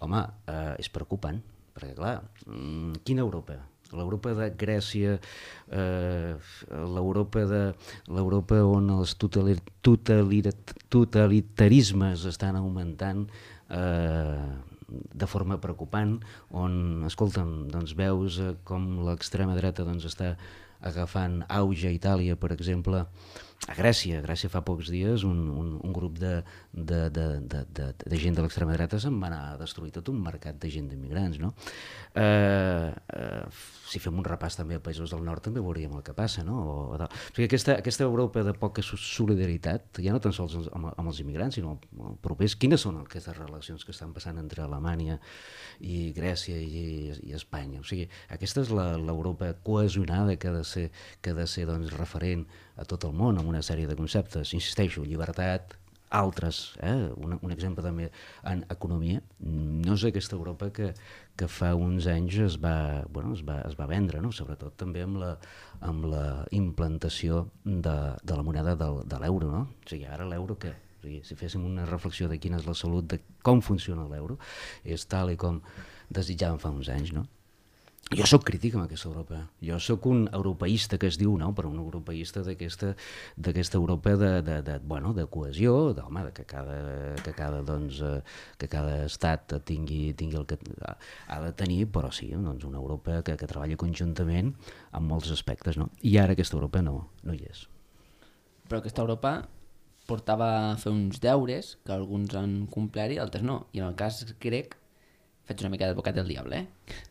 home, eh, és preocupant, perquè clar, mmm, quina Europa? L'Europa de Grècia, eh, l'Europa de l'Europa on els totali, totali, totalitarismes estan augmentant eh, de forma preocupant, on, escolta'm, doncs veus eh, com l'extrema dreta doncs, està agafant auge a Itàlia, per exemple, a Grècia. A Grècia fa pocs dies un, un, un grup de, de, de, de, de, de gent de l'extrema dreta se'n va anar a destruir tot un mercat de gent d'immigrants, no? Eh, eh, si fem un repàs també a països del nord també veuríem el que passa, no? O, o, o sigui, aquesta, aquesta Europa de poca solidaritat, ja no tan sols amb, amb els immigrants, sinó propers, quines són aquestes relacions que estan passant entre Alemanya i Grècia i, i Espanya? O sigui, aquesta és l'Europa cohesionada que ha de ser, que ha de ser doncs, referent a tot el món, amb una sèrie de conceptes, insisteixo, llibertat, altres, eh? un, un exemple també en economia, no és aquesta Europa que, que fa uns anys es va, bueno, es va, es va vendre, no? Sobretot també amb la, amb la implantació de, de la moneda del, de l'euro, no? O sigui, ara l'euro què? O sigui, si féssim una reflexió de quina és la salut, de com funciona l'euro, és tal i com desitjàvem fa uns anys, no? Jo sóc crític amb aquesta Europa. Jo sóc un europeista que es diu, no? Però un europeista d'aquesta d'aquesta Europa de, de, de, bueno, de cohesió, de, home, de que cada, que cada, doncs, eh, que cada estat tingui, tingui el que ha de tenir, però sí, doncs una Europa que, que treballi conjuntament en molts aspectes, no? I ara aquesta Europa no, no hi és. Però aquesta Europa portava a fer uns deures que alguns han complert i altres no. I en el cas grec, faig una mica d'advocat del diable, eh?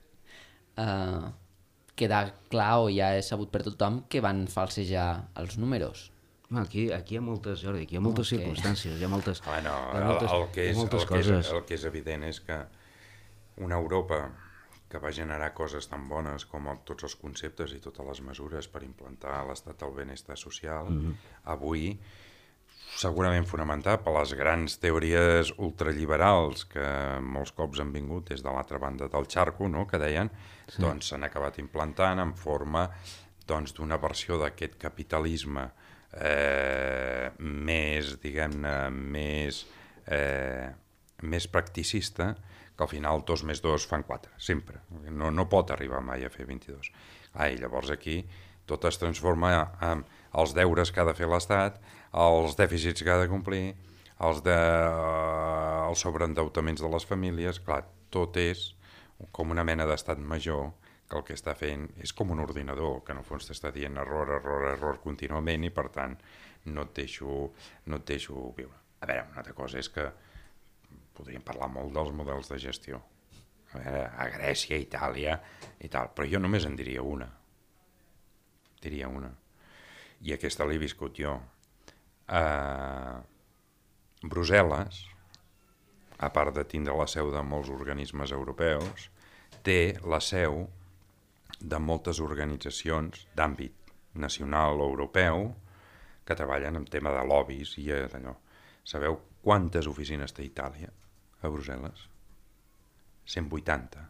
Uh, queda clar o ja és sabut per tothom que van falsejar els números. Aquí, aquí hi ha moltes, Jordi, aquí hi ha moltes okay. circumstàncies, hi ha moltes, bueno, hi ha moltes, el, el que és, hi ha moltes el coses. Que és, el que és evident és que una Europa que va generar coses tan bones com tots els conceptes i totes les mesures per implantar l'estat del benestar social, mm-hmm. avui segurament fonamentat per les grans teories ultraliberals que molts cops han vingut des de l'altra banda del xarco, no?, que deien, sí. doncs s'han acabat implantant en forma doncs, d'una versió d'aquest capitalisme eh, més, diguem-ne, més, eh, més practicista, que al final dos més dos fan quatre, sempre. No, no pot arribar mai a fer vint-i-dos. Ah, i llavors aquí tot es transforma en els deures que ha de fer l'Estat, els dèficits que ha de complir, els, de, els sobreendeautaments de les famílies. Clar, tot és com una mena d'estat major que el que està fent és com un ordinador, que en el fons t'està dient error, error, error contínuament i per tant no et deixo, no et deixo viure. A veure, una altra cosa és que podríem parlar molt dels models de gestió. A veure, a Grècia, a Itàlia i tal, però jo només en diria una. Diria una. I aquesta l'he viscut jo. Uh, Brussel·les, a part de tindre la seu de molts organismes europeus, té la seu de moltes organitzacions d'àmbit nacional o europeu que treballen en tema de lobbies i d'allò. Sabeu quantes oficines té Itàlia a Brussel·les? cent vuitanta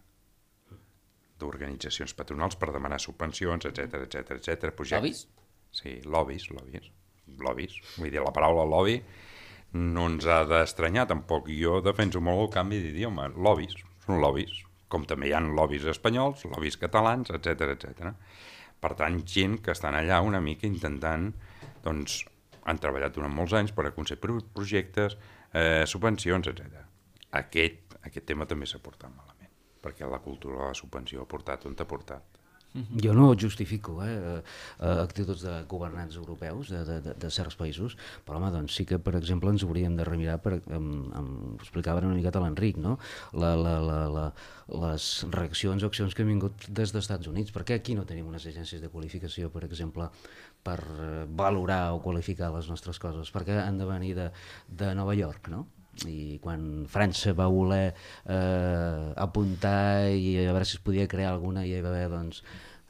d'organitzacions patronals per demanar subvencions, etcètera, etcètera, etcètera. Lobbies? Sí, lobbies, lobbies, lobbies. Vull dir, la paraula lobby no ens ha d'estranyar tampoc. Jo defenso molt el canvi d'idioma. Lobbies, són lobbies. Com també hi ha lobbies espanyols, lobbies catalans, etcètera, etcètera. Per tant, gent que estan allà una mica intentant, doncs, han treballat durant molts anys per aconseguir projectes, eh, subvencions, etcètera. Aquest, aquest tema també s'ha portat malament, perquè la cultura de la subvenció ha portat on t'ha portat. Jo no ho justifico, eh, actituds de governants europeus de, de, de certs països, però home, doncs sí que, per exemple, ens hauríem de remirar, per, amb, amb, ho explicava una miqueta l'Enric, no? la, la, la, la, les reaccions o accions que han vingut des dels Estats Units. Per què aquí no tenim unes agències de qualificació, per exemple, per valorar o qualificar les nostres coses? Per què han de venir de, de Nova York, no? I quan França va voler eh, apuntar i a veure si es podia crear alguna, i hi va haver doncs,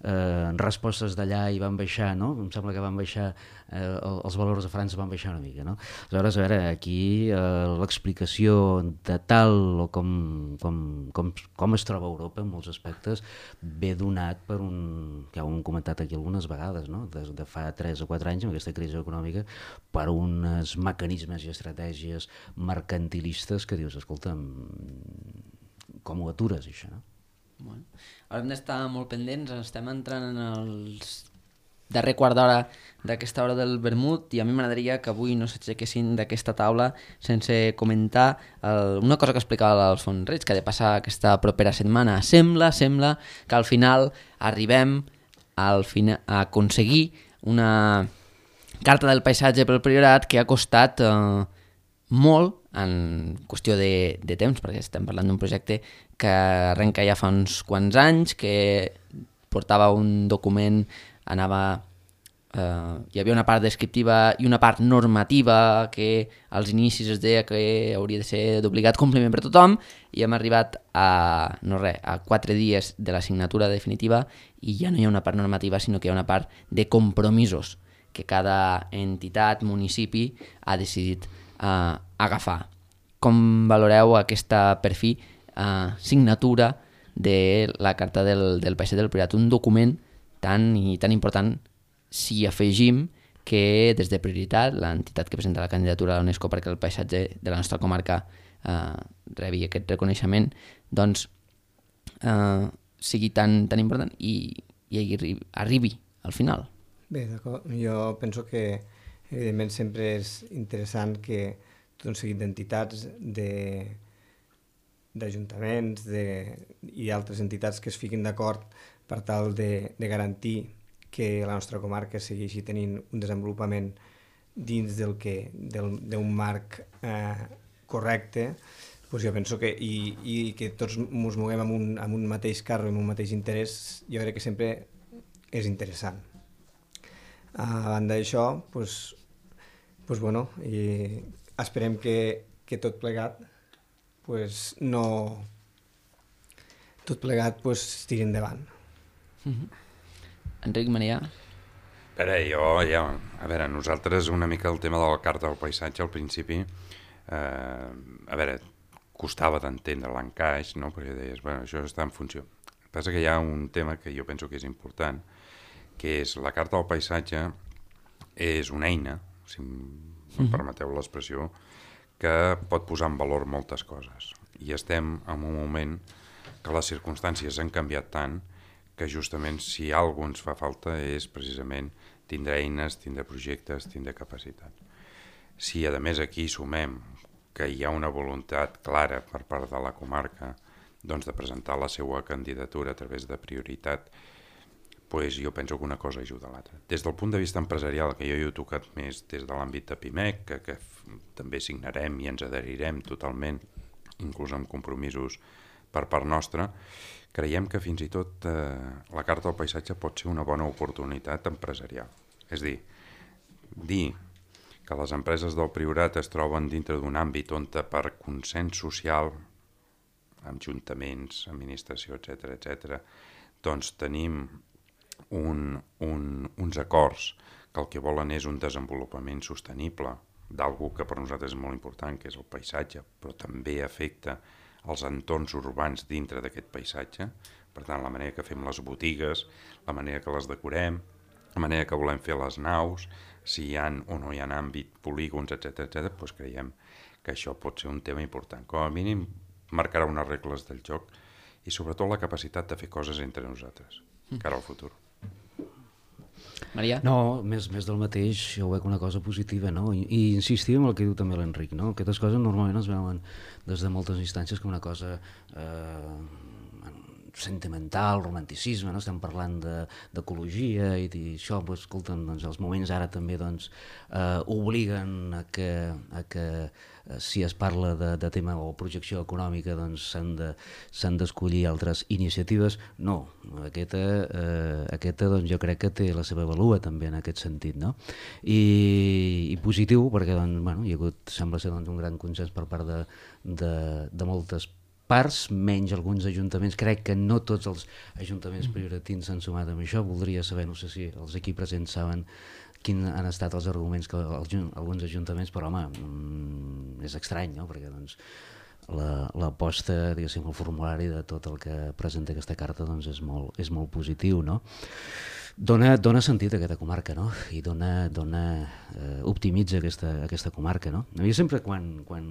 eh, respostes d'allà i van baixar, no? Em sembla que van baixar, eh, els valors de França van baixar una mica, no? Aleshores, a veure, aquí eh, l'explicació de tal o com, com, com, com es troba Europa en molts aspectes ve donat per un, que ja ho hem comentat aquí algunes vegades, no? Des de fa tres o quatre anys, amb aquesta crisi econòmica, per uns mecanismes i estratègies mercantilistes que dius, escolta'm, com ho atures, això, no? Bueno, ara hem d'estar molt pendents, estem entrant en els darrer quart d'hora d'aquesta hora del vermut i a mi m'agradaria que avui no s'aixequessin d'aquesta taula sense comentar el, una cosa que explicava l'Alfons Reig, que ha de passar aquesta propera setmana. Sembla, sembla que al final arribem al fina, a aconseguir una carta del paisatge pel Priorat que ha costat eh, molt en qüestió de, de temps, perquè estem parlant d'un projecte que arrenca ja fa uns quants anys, que portava un document, anava... Eh, hi havia una part descriptiva i una part normativa que als inicis es deia que hauria de ser d'obligat compliment per tothom, i hem arribat a, no res, a quatre dies de la signatura definitiva i ja no hi ha una part normativa, sinó que hi ha una part de compromisos que cada entitat, municipi ha decidit eh, agafar. Com valoreu aquesta, per fi, eh, signatura de la Carta del, del Paisatge del Priorat, un document tan i tan important si afegim que des de Prioritat, l'entitat que presenta la candidatura a l'UNESCO perquè el paisatge de la nostra comarca eh, rebi aquest reconeixement, doncs eh, sigui tan, tan important i, i arribi, arribi al final. Bé, d'acord. Jo penso que evidentment sempre és interessant que tot un seguit d'entitats, de, d'ajuntaments de, i altres entitats que es fiquin d'acord per tal de, de garantir que la nostra comarca segueixi tenint un desenvolupament dins del que del, d'un marc eh, correcte, doncs jo penso que i, i que tots ens moguem amb un, amb un mateix carro, amb un mateix interès, jo crec que sempre és interessant. A banda d'això, doncs, doncs bueno, i esperem que, que tot plegat pues, no... tot plegat pues, tiri endavant. Mm-hmm. Enric, Maria? A veure, jo, ja, a veure, nosaltres una mica el tema de la Carta del Paisatge al principi, eh, a veure, costava d'entendre l'encaix, no? Perquè deies, bueno, això està en funció. El que passa que hi ha un tema que jo penso que és important, que és la Carta del Paisatge és una eina, si em permeteu l'expressió, que pot posar en valor moltes coses. I estem en un moment que les circumstàncies han canviat tant que justament si alguna cosa ens fa falta és precisament tindre eines, tindre projectes, tindre capacitat. Si a més aquí sumem que hi ha una voluntat clara per part de la comarca doncs, de presentar la seva candidatura a través de Prioritat, pues jo penso que una cosa ajuda a l'altra. Des del punt de vista empresarial, que jo hi he tocat més des de l'àmbit de Pimec, que, que també signarem i ens adherirem totalment, inclús amb compromisos per part nostra, creiem que fins i tot eh, la Carta del Paisatge pot ser una bona oportunitat empresarial. És dir, dir que les empreses del Priorat es troben dintre d'un àmbit on per consens social, amb ajuntaments, administració, etcètera, etcètera, doncs tenim un, un, uns acords que el que volen és un desenvolupament sostenible d'algú que per nosaltres és molt important, que és el paisatge, però també afecta els entorns urbans dintre d'aquest paisatge. Per tant, la manera que fem les botigues, la manera que les decorem, la manera que volem fer les naus, si hi ha o no hi ha àmbit, polígons, etcètera, etcètera, doncs creiem que això pot ser un tema important. Com a mínim, marcarà unes regles del joc i sobretot la capacitat de fer coses entre nosaltres, cara al futur. Maria? No, més, més del mateix, jo ho veig una cosa positiva, no? I, i insistir en el que diu també l'Enric, no? Aquestes coses normalment es veuen des de moltes instàncies com una cosa eh, sentimental, romanticisme, no? Estem parlant d'ecologia de, i d'això, doncs, escolta'm, doncs, els moments ara també doncs, eh, obliguen a que, a que eh, si es parla de, de tema o projecció econòmica doncs s'han de, s'han d'escollir altres iniciatives. No, aquesta, eh, aquesta doncs, jo crec que té la seva valua també en aquest sentit, no? I, i positiu perquè doncs, bueno, hi ha hagut, sembla ser doncs, un gran consens per part de, de, de moltes parts, menys alguns ajuntaments. Crec que no tots els ajuntaments prioritins s'han sumat amb això. Voldria saber, no sé si els aquí presents saben quins han estat els arguments que els, alguns ajuntaments, però home, mm, és estrany, no? Perquè doncs, l'aposta, la, diguéssim, el formulari de tot el que presenta aquesta carta doncs, és, molt, és molt positiu, no? Dona, dona sentit a aquesta comarca, no? I dona, dona, eh, optimitza aquesta, aquesta comarca, no? Jo sempre quan, quan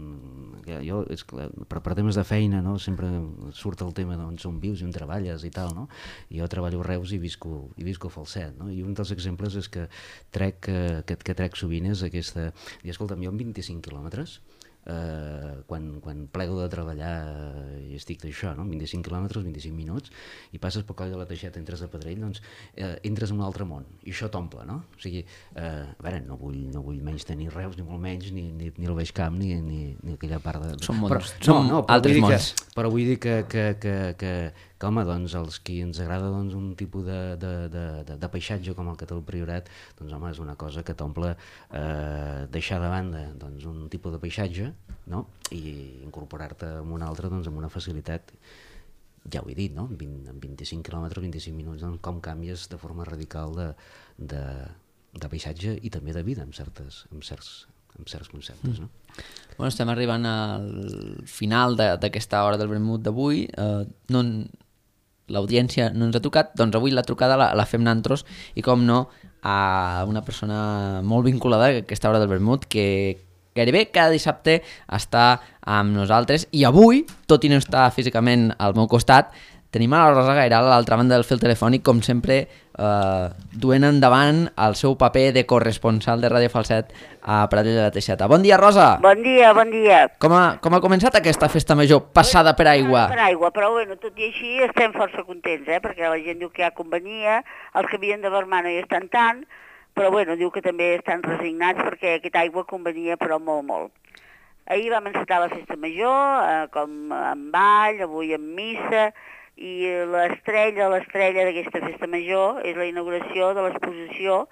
jo, és clar, per, per temes de feina, no? Sempre surt el tema d'on som vius i on treballes i tal, no? Jo treballo a Reus i visco, i visco a Falset, no? I un dels exemples és que trec, que, que trec sovint és aquesta... I escolta'm, jo amb vint-i-cinc quilòmetres, Uh, quan, quan plego de treballar uh, i estic d'això, no? vint-i-cinc quilòmetres, vint-i-cinc minuts, i passes pel coll de la Teixeta, entres a Pedrell, doncs uh, entres en un altre món, i això t'omple, no? O sigui, uh, a veure, no vull, no vull menys tenir Reus, ni molt menys, ni, ni, ni el Baix Camp, ni, ni, ni aquella part de... Són mons, però, són no, no, altres mons. Que, però vull dir que, que, que, que, que home, doncs, els qui ens agrada doncs, un tipus de, de, de, de, de paisatge com el que té el Priorat, doncs home, és una cosa que t'omple eh, deixar de banda doncs, un tipus de paisatge, no? I incorporar-te en un altre doncs, amb una facilitat, ja ho he dit, no? vint, en vint-i-cinc quilòmetres, vint-i-cinc minuts, doncs, com canvies de forma radical de, de, de paisatge i també de vida en, certes, en, certs, en certs conceptes, no? Bueno, estem arribant al final d'aquesta hora del vermut d'avui. Eh, no, l'audiència no ens ha trucat, doncs avui la trucada la, la fem nantros i com no a una persona molt vinculada a aquesta hora del vermut que gairebé cada dissabte està amb nosaltres i avui, tot i no estar físicament al meu costat, tenim a la Rosa Gairal a l'altra banda del fil telefònic, com sempre, eh, duent endavant el seu paper de corresponsal de Ràdio Falset a Pradell de la Teixeta. Bon dia, Rosa! Bon dia, bon dia. Com ha, com ha començat aquesta festa major passada per aigua? Per aigua, però bueno, tot i així estem força contents, eh? Perquè la gent diu que hi ha convenia, els que havien de vermar no hi estan tant, però bueno, diu que també estan resignats perquè aquesta aigua convenia però molt, molt. Ahir vam encetar la festa major, eh, com en ball, avui en missa, i l'estrella, l'estrella d'aquesta festa major és la inauguració de l'exposició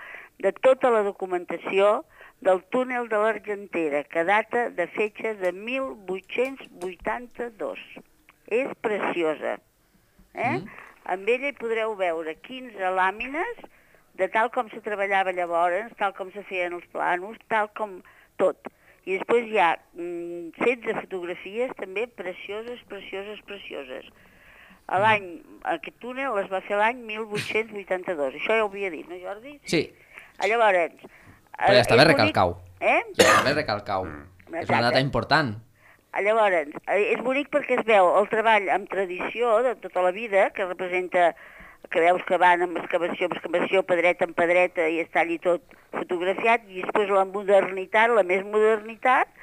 de tota la documentació del túnel de l'Argentera, que data de fetge de mil vuit-cents vuitanta-dos. És preciosa. Eh? Mm. Amb ella hi podreu veure quinze làmines de tal com se treballava llavors, tal com se feien els planos, tal com tot. I després hi ha mm, setze fotografies també precioses, precioses, precioses. A l'any, aquest túnel es va fer l'any mil vuit-cents vuitanta-dos. Això ja ho havia dit, no, Jordi? Sí. Llavors... Però ja està bé recalcar-ho. Eh? Ja està bé recalcar-ho. És una data important. Llavors, és bonic perquè es veu el treball amb tradició de tota la vida, que representa, que veus que van amb excavació, amb excavació, pedreta en pedreta, i està allí tot fotografiat, i després la modernitat, la més modernitat,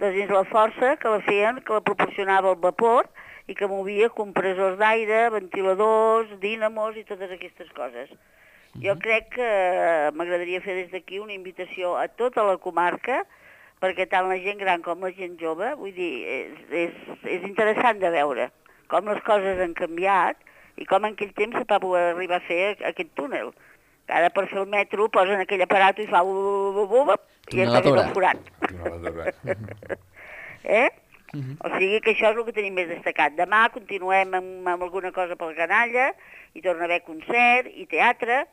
doncs és la força que la feien, que la proporcionava el vapor, i que movia compressors d'aire, ventiladors, dínamos i totes aquestes coses. Uh-huh. Jo crec que m'agradaria fer des d'aquí una invitació a tota la comarca, perquè tant la gent gran com la gent jove, vull dir, és, és, és interessant de veure com les coses han canviat i com en aquell temps se va poder arribar a fer aquest túnel. Ara per fer el metro posen aquell aparat i fa i ja està fet el forat. Eh? Uh-huh. O sigui que això és el que tenim més destacat. Demà continuem amb, amb alguna cosa pel canalla, i torna a haver concert i teatre,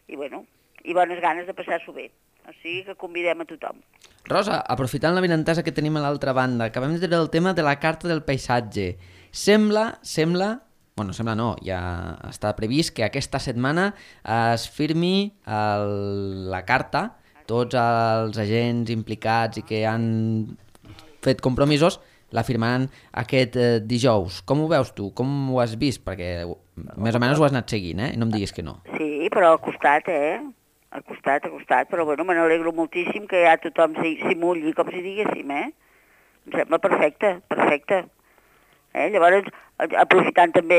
i bueno, i bones ganes de passar-s'ho bé. O sigui que convidem a tothom. Rosa, aprofitant la benentesa que tenim a l'altra banda, acabem de treure el tema de la carta del paisatge. Sembla, sembla, bueno, sembla no, ja està previst que aquesta setmana es firmi el, la carta, tots els agents implicats i que han fet compromisos, la firmaran aquest eh, dijous. Com ho veus tu? Com ho has vist? Perquè més o menys ho has anat seguint, eh? No em diguis que no. Sí, però al costat, eh? Al costat, al costat. Però bueno, me n'alegro moltíssim que ja tothom s'hi mulli, com si diguéssim, eh? Em sembla perfecte, perfecte. Eh? Llavors, aprofitant també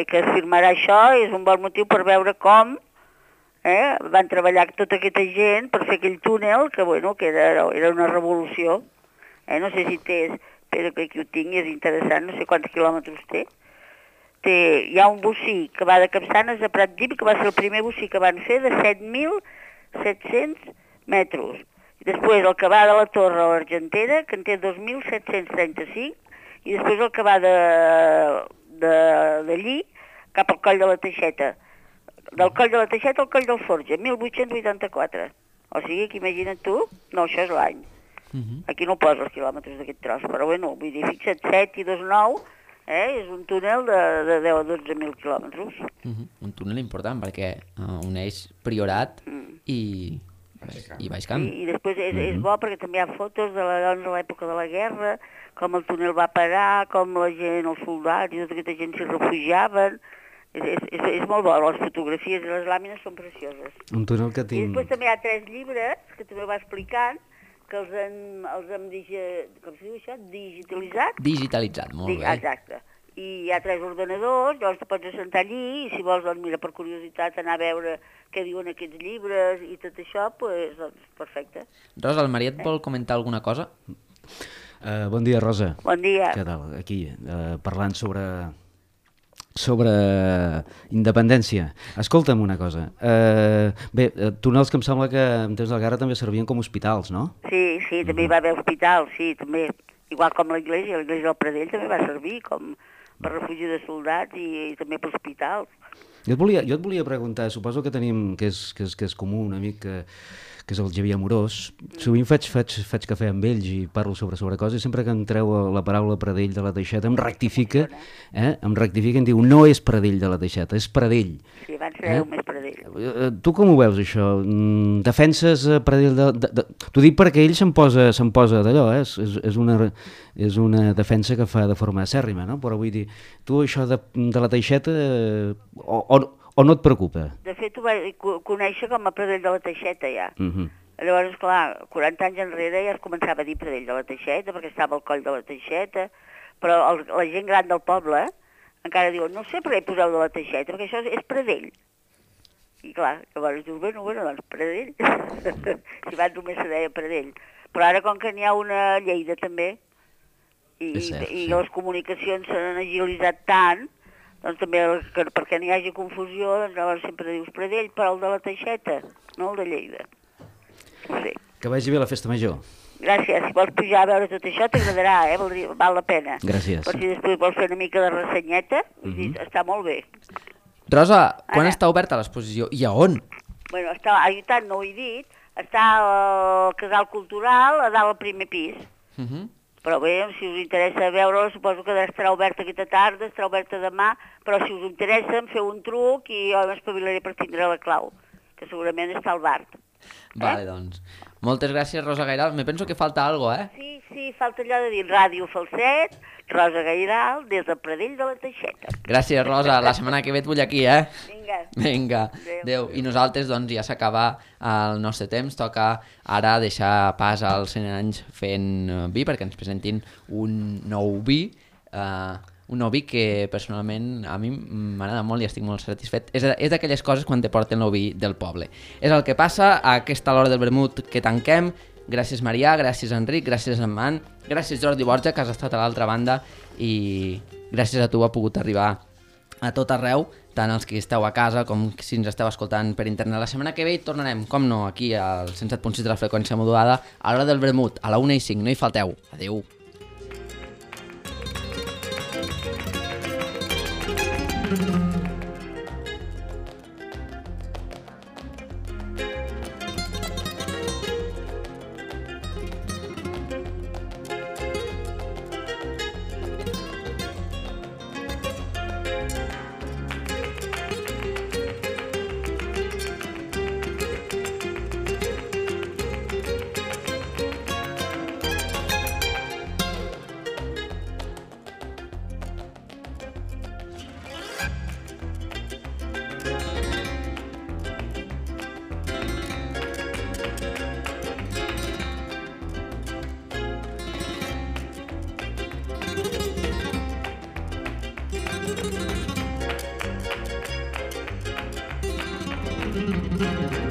que es firmarà això, és un bon motiu per veure com eh, van treballar tota aquesta gent per fer aquell túnel, que, bueno, que era, era una revolució. Eh? No sé si té, espero que aquí ho tingui, és interessant, no sé quants quilòmetres té. té. Hi ha un bocí que va de Capçanes a Pratdip, que va ser el primer bocí que van fer de set mil set-cents metres. I després el que va de la Torre a l'Argentera, que en té dos mil set-cents trenta-cinc, i després el que va d'allí cap al Coll de la Teixeta. Del Coll de la Teixeta al Coll del Forja, mil vuit-cents vuitanta-quatre. O sigui que imagina't tu, no, això és l'any. Uh-huh. Aquí no posa els quilòmetres d'aquest tros, però bueno, vull dir, fixa't, set i dos nou, eh, és un túnel de, de deu a dotze mil quilòmetres. Uh-huh. Un túnel important perquè uh, uneix Priorat mm. i... i Baix Camp. I, i després és, és bo perquè també hi ha fotos de la, doncs, de l'època de la guerra, com el túnel va parar, com la gent, els soldats i tota aquesta gent s'hi refugiaven. És, és, és, és molt bo, les fotografies i les làmines són precioses. Un túnel que tinc... I després també hi ha tres llibres que també va explicant que els han, els han digi... com se diu això? digitalitzat. Digitalitzat, molt Dig... bé. Exacte. I hi ha tres ordenadors, llavors te pots assentar allí i si vols, doncs mira, per curiositat anar a veure què diuen aquests llibres i tot això, doncs, doncs perfecte. Rosa, el Mariet vol comentar alguna cosa? Uh, bon dia, Rosa. Bon dia. Què tal? Aquí, uh, parlant sobre sobre independència. Escolta'm una cosa. Uh, bé, túnels que em sembla que en temps de la guerra també servien com hospitals, no? Sí, sí, també hi va haver hospitals, sí, també. Igual com l'església, l'església del Pradell també va servir com per refugi de soldats i, i també per hospitals. Jo et, volia, jo et volia preguntar, suposo que tenim, que és, que és, que és comú, un amic que, que és el Xavier Amorós, sovint faig, faig, faig cafè amb ells i parlo sobre sobre coses i sempre que em treu la paraula Pradell de la Teixeta em rectifica, eh? em rectifica i em diu no és Pradell de la Teixeta, és Pradell. Sí, abans era eh? més Pradell. Tu com ho veus això? Defenses Pradell de... de, de... T'ho dic perquè ell se'n posa, se'n posa d'allò, eh? és, és, és, una, és una defensa que fa de forma acèrrima, no? Però vull dir, tu això de, de la Teixeta o, o, o no et preocupa? De fet, ho vaig conèixer com a Pradell de la Teixeta, ja. Uh -huh. Llavors, clar, quaranta anys enrere ja es començava a dir Pradell de la Teixeta, perquè estava al Coll de la Teixeta, però el, la gent gran del poble encara diuen, no sé per què hi poseu de la Teixeta, perquè això és, és Pradell. I clar, llavors dius, bueno, bueno, doncs Pradell. Si abans només se deia Pradell. Però ara, com que n'hi ha una a Lleida també, i, cert, i sí. les comunicacions s'han agilitzat tant, doncs també el, que, perquè n'hi hagi confusió, doncs llavors sempre dius Pradell, però el de la Teixeta, no el de Lleida. No sé. Que vagi bé la festa major. Gràcies, si vols pujar a veure tot això t'agradarà, eh? Val, val la pena. Gràcies. Per si després vols fer una mica de ressenyeta, uh -huh. està molt bé. Rosa, quan Ara. està oberta l'exposició i a on? Bueno, està, a tant no ho he dit, està al Casal Cultural, a dalt al primer pis. Uh -huh. Però bé, si us interessa veure-la, suposo que estarà oberta aquesta tarda, estarà oberta demà, però si us interessa, em feu un truc i jo m'espavilaré per tindre la clau, que segurament està al bar. Vale, eh? Doncs. Moltes gràcies, Rosa Gairal. Me penso que falta algo, eh? Sí, sí, falta allò de dir Ràdio Falset, Rosa Gairal, des del Pradell de la Teixeta. Gràcies, Rosa. La setmana que ve et vull aquí, eh? Vinga. Vinga. Adéu. Adéu. I nosaltres, doncs, ja s'acaba el nostre temps. Toca ara deixar pas als cent anys fent vi, perquè ens presentin un nou vi. Uh, un nou vi que personalment a mi m'agrada molt i estic molt satisfet. És, és d'aquelles coses quan te porten el vi del poble. És el que passa a aquesta hora del vermut que tanquem. Gràcies Marià, gràcies Enric, gràcies Amman, gràcies Jordi Borja que has estat a l'altra banda i gràcies a tu ha pogut arribar a tot arreu, tant els que esteu a casa com si ens esteu escoltant per internet. La setmana que ve tornarem, com no, aquí al cent set punt sis de la freqüència modulada a l'hora del vermut, a la una i cinc. No hi falteu. Adéu. Gràcies.